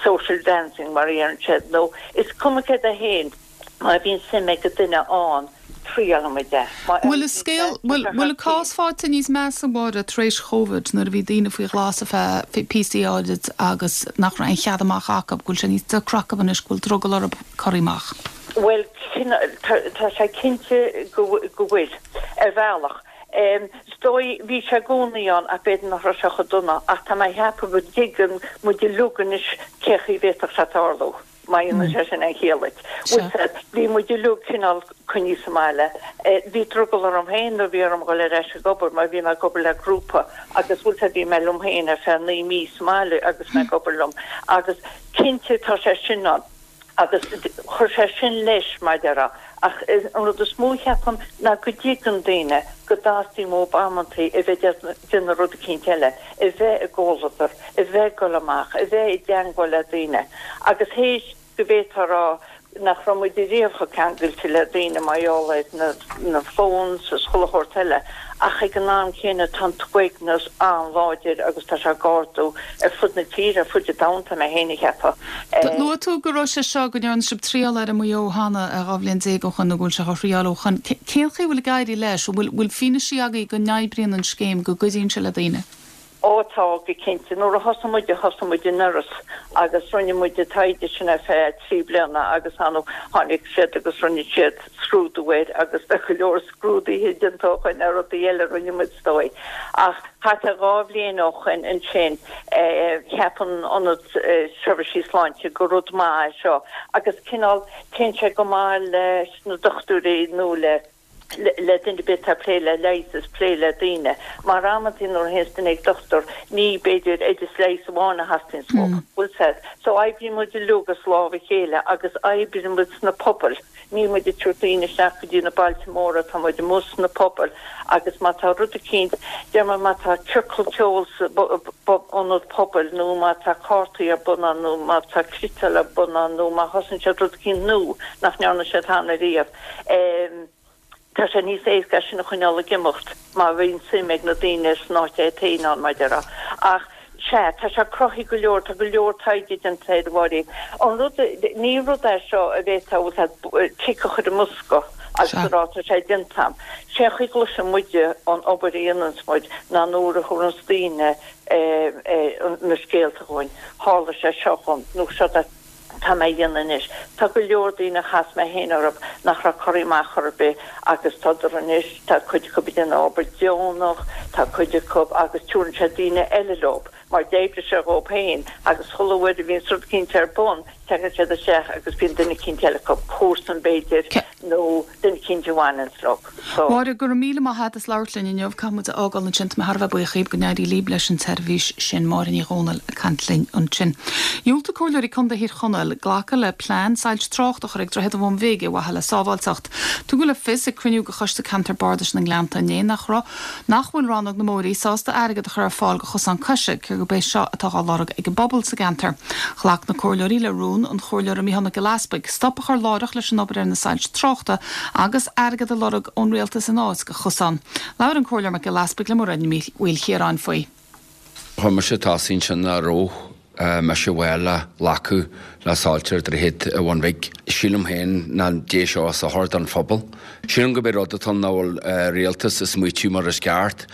social dancing mar a deireann siad nó is cuma céard é féin. Má bhíonn suim ag an duine ann, triaileann muid é. Má Bhfuil an scéal, bhfuil, bhfuil an cás faighte níos measa, a Mháire, tar éis Chóvid, nuair a bhí daoine faoi ghlas ar feadh píosaí áirid agus nach raibh aon chead amach acu, go bhfuil sé níos deacra acu anois, go bhfuil drogall orthu corraí amach? Bhuel, tá, tá sé cinnte go, go bhfuil, ar bhealach. Is dóigh, bhí sé i gcónaí ann ach b'fhéidir nach raibh sé chomh dona, ach tá mé a cheapadh go dtuigeann muid uilig anois cé chaoi a bhféadfadh sé tarlú. Má dhéanann sé sin aon chiall duit. Bhfuil 's a'd, bhí muid uilig cineál coinnithe sa mbaile. Bhí drogall orm féin nuair a bhí orm dhul ar ais ag obair mar bhí mé ag obair le grúpa agus bhfuil 's a'd bhí mé liom féin ar feadh 9 mí sa mbaile agus mé ag obair liom. Agus cinnte tá sé sin ann agus chuir sé sin leis mar a déarfá. Ach an rud is mó cheapaim ná go dtuigeann daoine go dteastaíonn uathu amantaí a bheith ag déanamh rud eicínt eile, a bheith i gcomhluadar, a bheith ag dul amach, a bheith i dteangmháil le daoine. Agus théis go bhféadfá a rá nach raibh muid ariamh chomh ceangailte le daoine mar gheall ar na na phones is chuile shórt eile, ach ag an am céanna tá an t-uaigneas an-láidir agus tá sé ag ardú ar fud na tíre, ar fud an domhain tá mé féin a cheapadh. Luaigh tú go raibh sé seo, go ndearna sibh triail air i Maigh Eo cheana 12 bhliain ó shoin nó go bhfuil sé á thriáil ó shoin. Cén chaoi a bhfuil ag éirí leis? An bhfuil bhfuil fianaise agaibh go n-oibríonn an scéim, go gcuidíonn sé le daoine? Ó tá, go cinnte. Nuair a thosaigh muid, thosaigh muid i nIorras agus rinne muid an taighde sin ar feadh 3 bliana agus tháinig siad agus rinne siad scrúdú air agus tá go leor scrúduithe déanta ó shoin ar rudaí eile a rinne muid is dóigh. Ach thart ar dhá bhliain ó shoin ansin cheap an Ionad Seirbhísí Sláinte gur rud maith é seo agus cineál téann sé go maith leis na dochtúirí nó le le duine ar bith atá ag plé le leigheas is plé le daoine. Mar amantaí nuair a théanns duine ag dochtúir ní b'fhéidir oideas leighis amháin a theastaíonns uathu. Bhfuil 's a'd. So oibríonn muid uilig as lámh a chéile agus oibríonn muid sna pobail. Níl muid ag tabhairt daoine isteach go dtí na bailte móra, tá muid amuigh sna pobail agus má tá rud eicínt, deir muid má tá ciorcal ceoil sa ionad pobail nó má tá cártaí ar bun ann nó má tá cniotáil ar bun ann nó má thosaíonn siad rud eicínt nua nach ndearna siad cheana riamh. Tá sé níos éasca é sin a choinneáil ag imeacht má bhíonn suim ag na daoine san áit é féin ann, mar a déarfá. Ach, sea, tá sé cruthaithe go leor, tá go leor taighde déanta air, a Mháirín. An rud, ní rud é seo a bhféadfá, bhfuil 's a'd, tic a chur i mbosca. Agus a rá tá sé déanta a'm. Sé an chaoi gcloiseann muide an obair a dhéananns muid ná nuair a thabharanns daoine na scéalta chugainn, tharla sé seo dhom nó seo atá mé a dhéanamh anois. Tá go leor daoine a chas mé féin orthu nach raibh corraithe amach chor ar bith agus tádar anois, tá cuid acu ag déanamh obair deonach, tá cuid acu agus tabharann siad daoine eile leo mar d'oibrigh sé dhóibh féin agus chuile uair a bhíonns rud eicínt ar bun, tagann siad isteach agus bíonn duine eicínt eile acu, comharsan b'fhéidir nó duine eicínt a bhaineanns leo. So. Máire, go raibh míle maith a't as labhairt linn inniu. Caithfidh muid a fhágáil ansin. Tá mé thar a bheith buíoch dhíb. Go n-éirí líb leis an tseirbhís sin. Máire Ní Dhomhnaill ag caint linn ansin. Dhiúltaigh Comhairleoirí Contae Thír Chonaill glacadh le plean soilse tráchta a chur ag Droichead an Bhun Bhig ar mhaithe le sábháilteacht. Tugadh le fios ag cruinniú de Choiste Ceantar Bardais na nGleannta inné nach raibh nach bhfuil Rannóg na mBóithrí sásta airgead a chur ar fáil do chosán coise, cé gurb é seo atá á lorg ag an bpobal sa gceantar. Ghlac na comhairleoirí le rún an Chomhairleora Micheál Mac Giolla Easpaig stop a chur láithreach leis an obair ar na soilse tráchta agus airgead a lorg ón rialtas ina áit do chosán. Labhair an Comhairleoir Mac Giolla Easpaig le Mairéad Ní Mhaoilchiaráin faoi. Chuir mise tosaigh ansin nach raibh mise bhfuil le glacadh le soilse ar Dhroichead an Bhun Bhig. Sílim féin nach dté seo as sochar don phobal. Sílim gurb é rud atá ann nach bhfuil rialtas ag smaoitiú mar is ceart.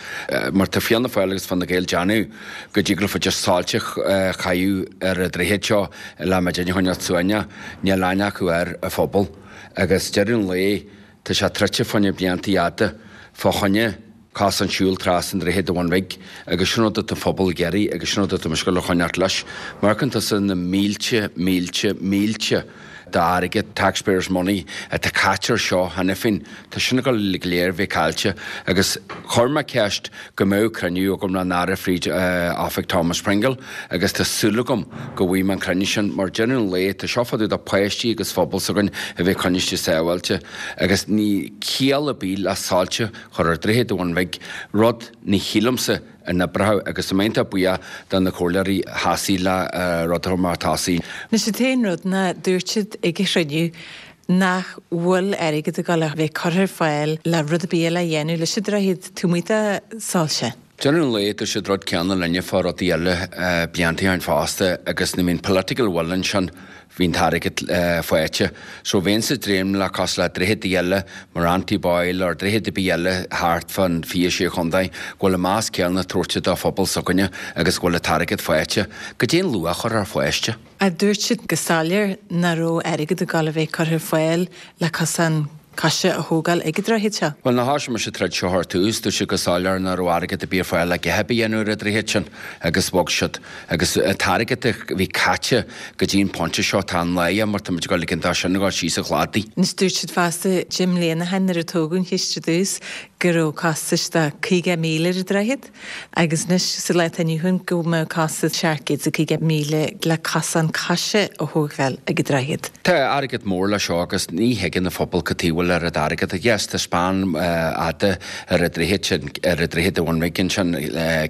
Mar tá Fianna Fáil agus Fine Gael déanamh go dtig leofa just soilse a chaitheamh ar an droichead seo le muidinne a choinneáil suaimhneach. Níl aithne acu ar an phobal. Agus deireadh an lae tá sé troidte fá choinne blianta fhada fá choinne cosán siúil trasna an droichead an Bhun Bhig agus sin rud atá an phobal ag iarraidh agus sin rud atá mise ag dul a choinneáilt leis. Má amharcann tusa na mílte, mílte, mílte d'airgead, taxpayers money, atá caite ar seo cheana féin, tá sin ag dul go léir bheith caillte agus chuir mé ceist go mbeadh cruinniú agam le an Aire fríd oifig Thomas Pringle agus tá súil agam go bhfaighidh mé an cruinniú sin mar deireadh an lae tá seo fá dtaobh de páistí agus phobal s'againn a bheith coinnithe sábháilte agus níl ciall ar bith le soilse chur ar Droichead an Bhun Bhig, rud ní shílimse a n-oibreoidh agus tá mé iontach buíoch do na comhairleoirí a sheasaigh le rud a chur mar tosaigh. Anois an t-aon rud ná dúirt siad ag an chruinniú nach bhfuil airgead ag dul a bheith curtha ar fáil le rud ar bith eile a dhéanamh leis an droichead taobh amuigh de soilse. Deireadh an lae dúirt siad rud céanna linne fá rudaí eile blianta ó shin fosta agus nuair a bhíonn political will ansin Bhí an t-airgead faighte. So bheinnse ag dréim le cosúil le droicheadaí eile mar Anty Boyle or droichead ar bith eile thart fán 26 chontae go bhfuil an meas céanna tabhairte do phobal s'againne agus go bhfuil an t-airgead faighte. Goidé an luach a chur ar pháiste? Ach dúirt siad go soiléir nach raibh airgead ag dul a bheith curtha ar fáil le cosán coise a thógáil ag an droichead seo. Bhuel, nuair a thoisigh mise ag troid seo ar tús, dúirt siad go soiléir nach raibh airgead ar bith ar fáil le a dhath ar bith a dhéanamh ar an droichead sin agus bhog siad. Agus an t-airgead a bhí caite go dtí an pointe seo, tá an-láidhe mar tá muid ag dul ag an dá sin ag dul síos an chladaigh. Anois dúirt siad fosta 10 mbliana ó shin nuair a tógadh an chiste ar dtús go raibh costais de 50,000 ar an droichead. Agus anois sa lá atá inniu ann go mbeadh costas 750,000 le cosán coise a thógáil ag an droichead. Tá airgead mór le seo agus ní thuigeann an phobal cad chuige a bhfuil oiread airgead. Yes, tá span fhada ar an droichead sin, ar an droichead an Bhun Bhig ansin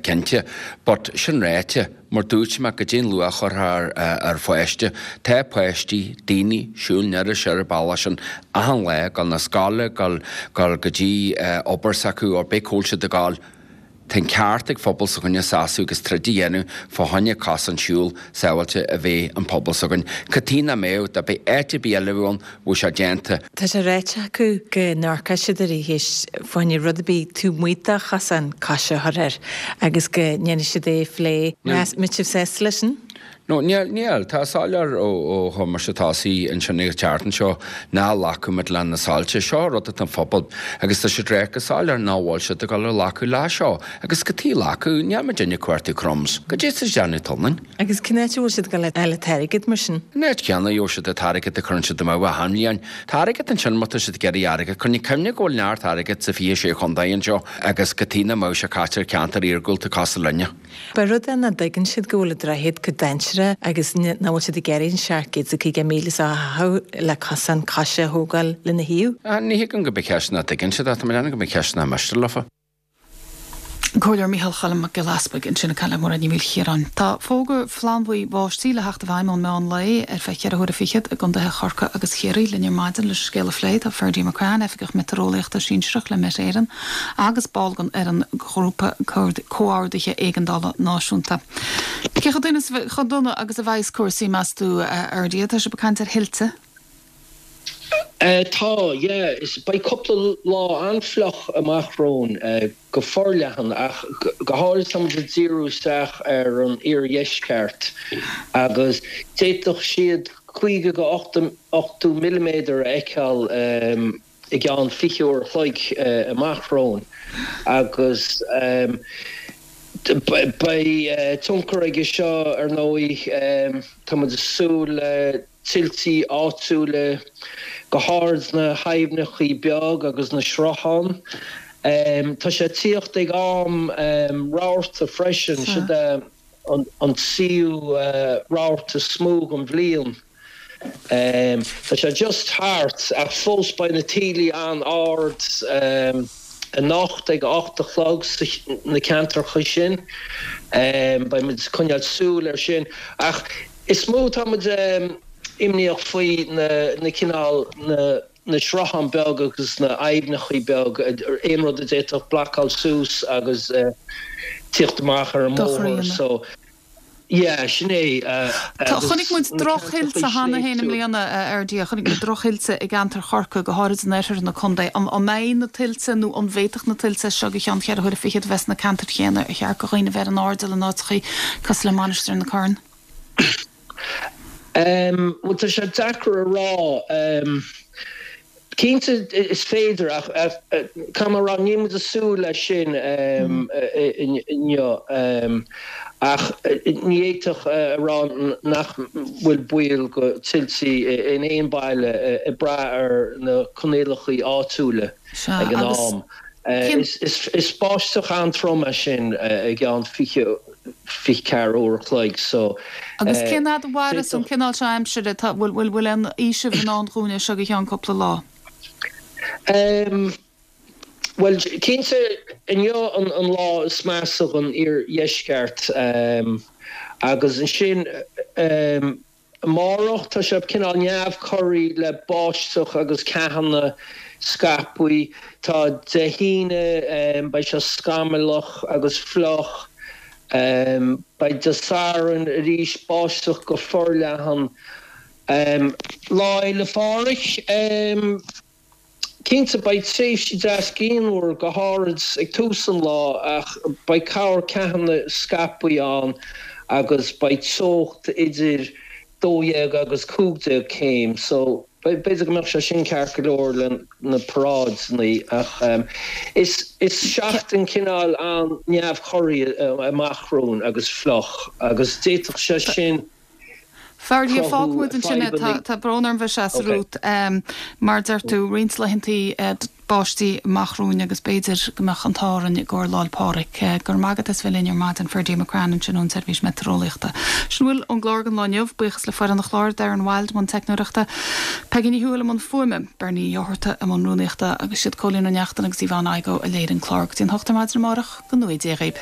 cinnte, but sin ráite, Mar dúirt mé, goidé an luach a chur ar pháiste. Tá páistí, daoine, siúl aniar is soir an bealach sin achan lá, gabháil na scoile, gabháil go dtí obair s'acu, or b'é cá bhfuil siad ag gabháil. Tá an ceart ag phobal s'againne seasamh agus troid a dhéanamh fá choinne cosán siúil sábháilte a bheith an pobal s'againn. Cad chuige nach mbeadh, dá mbeadh áit ar bith eile a bheadh ann, bheadh sé déanta. Tá sé ráite acu go n-amharcfaidh siad ar an cheist fá choinne rud ar bith taobh amuigh de chosán coise a chur air agus go ndéanfaidh siad é a phlé. Mbeidh sibh sásta leis sin? No, níl, níl. Tá soiléir ó ó chuir mise tosaigh ansin ag an tseachtain seo nach nglacfaimid le na soilse. Seo rud atá an phobal agus tá siad ag rá go soiléir nach bhfuil siad ag dul a ghlacadh le seo. Agus cad chuige glacadh, níl muidinne ag cuartú crumbs. Goidé tá siad ag déanamh tullaing. Agus cén áit a bhfuil siad ag dul a fháil an t-airgead mar sin? An áit chéanna a gheobhaidh siad an t-airgead a chuireann siad amú achan bhliain. Tá airgead ansin má tá siad ag iarraidh airgead. Coinnigh cuimhne go bhfuil neart airgid sa 26 chontae anseo agus cad chuige nach mbeadh sé caite ar cheantair iargúlta cosúil linne. Ba rud é nach dtuigeann siad go bhfuil an droichead chomh dainséarach agus nach bhfuil siad ag iarraidh an 750,000 seo a chaitheamh le cosán coise a thógáil lena thaobh. Ní thuigim go mbeadh ceist nach dtuigeann siad ach tá mé ag déanamh go mbeadh ceist nach miste leofa. An Comhairleoir Micheál Choilm Mac Giolla Easpaig ansin ag caint le Mairéad Ní Mhaoilchiaráin. Tá fógra flannbhuí báistí le theacht i bhfeidhm ón meán lae ar feadh cheithre huaire fichead i gcontaetha Chorcaí agus Chiarraí. Linn ar maidin leis an scéal a phlé tá Ferdia McCrann, Oifigeach Meitéareolaíochta Sinsearach le Met Éireann agus ball den fhoireann Ghrúpa Comhordaithe Éigeandála Náisiúnta. Cé chomh dona agus a bheas cúrsaí, meas tú, a Fherdia? Tá sibh ag caint ar thuilte. Tá, yeah. Is beidh cúpla lá an-fhliuch amach romhainn go forleathan ach go háirid tá muid ag díriú isteach ar an iardheisceart agus d'fhéadfadh siad 50 go 80 milliméadar a fheiceáil i gceann 20 uair a chloig amach romhainn agus beidh tionchar aige seo ar ndóigh. Tá muid ag súil le tuiltí áitiúla, go háirid sna haibhneachaí beag agus na srutháin. Tá sé ag tíocht ag am rabharta freisin, siod é an tríú rabharta is mó den bhliain. Tá sé just thart ach fós beidh na taoillí an-ard anocht ag a 8 a chlog sna ceantracha sin. Beidh muid ag coinneáil súil air sin ach Is mó atá muid imníoch faoi na cineál na srutháin beag agus na aibhneachaí beag, aon rud a d'fhéadfadh blocáil suas agus tíocht amach ar an mbóthar so yeah sin é agus Chonaic muid drochthuilte cheana féin i mbliana, a Fherdia, chonaic muid drochthuilte i gceantar Chorcaí, go háirid in oirthear na contae. An mbeidh na tuilte nó an bhféadfadh na tuilte as seo go ceann cheithre huaire fichead a bheith sna ceantair chéanna ar cheart do dhaoine a bheith ar an airdeall in áiteachaí cosúil le Mainistir na Corann? Bhuel, tá sé deacair a rá. Cinnte, is féidir, ach caithfidh mé a rá, níl muid ag súil leis sin inniu. Ach ní fhéadfadh a rá nach bhfuil baol go tuiltí in aon baile, ag brath ar na coinníollacha áitiúla ag an am. Is báisteach an-trom é sin i gceann 20 24 uair a chloig so. Agus cén fhad a mhairfeas an cineál seo aimsire? Tá, bhfuil, bhfuil, bhfuil aon fhaoiseamh i ndán dhúinn as seo go ceann cúpla lá? Em, bhuel, cinnte, inniu an, an lá is measa don iardheisceart, em, agus ansin, em, Amárach, tá sé cineál neamhchorraí le báisteach agus ceathanna scaipthe. Tá Dé hAoine, beidh sé scamallach agus fliuch. Beidh Dé Sathairn arís báisteach go forleathan. Lá Fhéile Phádraig. Cinnte, beidh tréimhsí deas grianmhar, go háirid ag tús an lá, ach beidh corr-cheathanna scaipthe ann agus beidh teocht idir 12 agus 15 céim, so b'fhéidir go mbeadh sé sin ceart go leor le na paráideanna, ach is seachtain cineál an-neamhchorraí amach romhainn agus fliuch agus d'fhéadfadh sé sin Ferdia, fágfaidh muid ansin é, tá brón orm bheith ag seasamh romhat. Mar a deir tú, roinnt laethantaí báistí amach romhainn agus b'fhéidir go mbeadh an t-ádh orainn i gcomhair Lá'l Pádraig. Go raibh maith agat as bheith linn ar maidin, Ferdia McCrann ansin ón tSeirbhís Meitéareolaíochta. Sin a bhfuil ón gclár don lá inniu. Buíochas le foireann an chláir, Darren Wilde i mbun teicneoireachta, Peigí Ní Thuathail i mbun fuaime, Bernie Uí Fhátharta i mbun rúnaíochta agus siad Cóilín Ó Neachtain agus Yvonne Igoe a léirigh an clár. Go dtí an hocht ar maidin amárach, go ngnóthaí Dia dhaoib.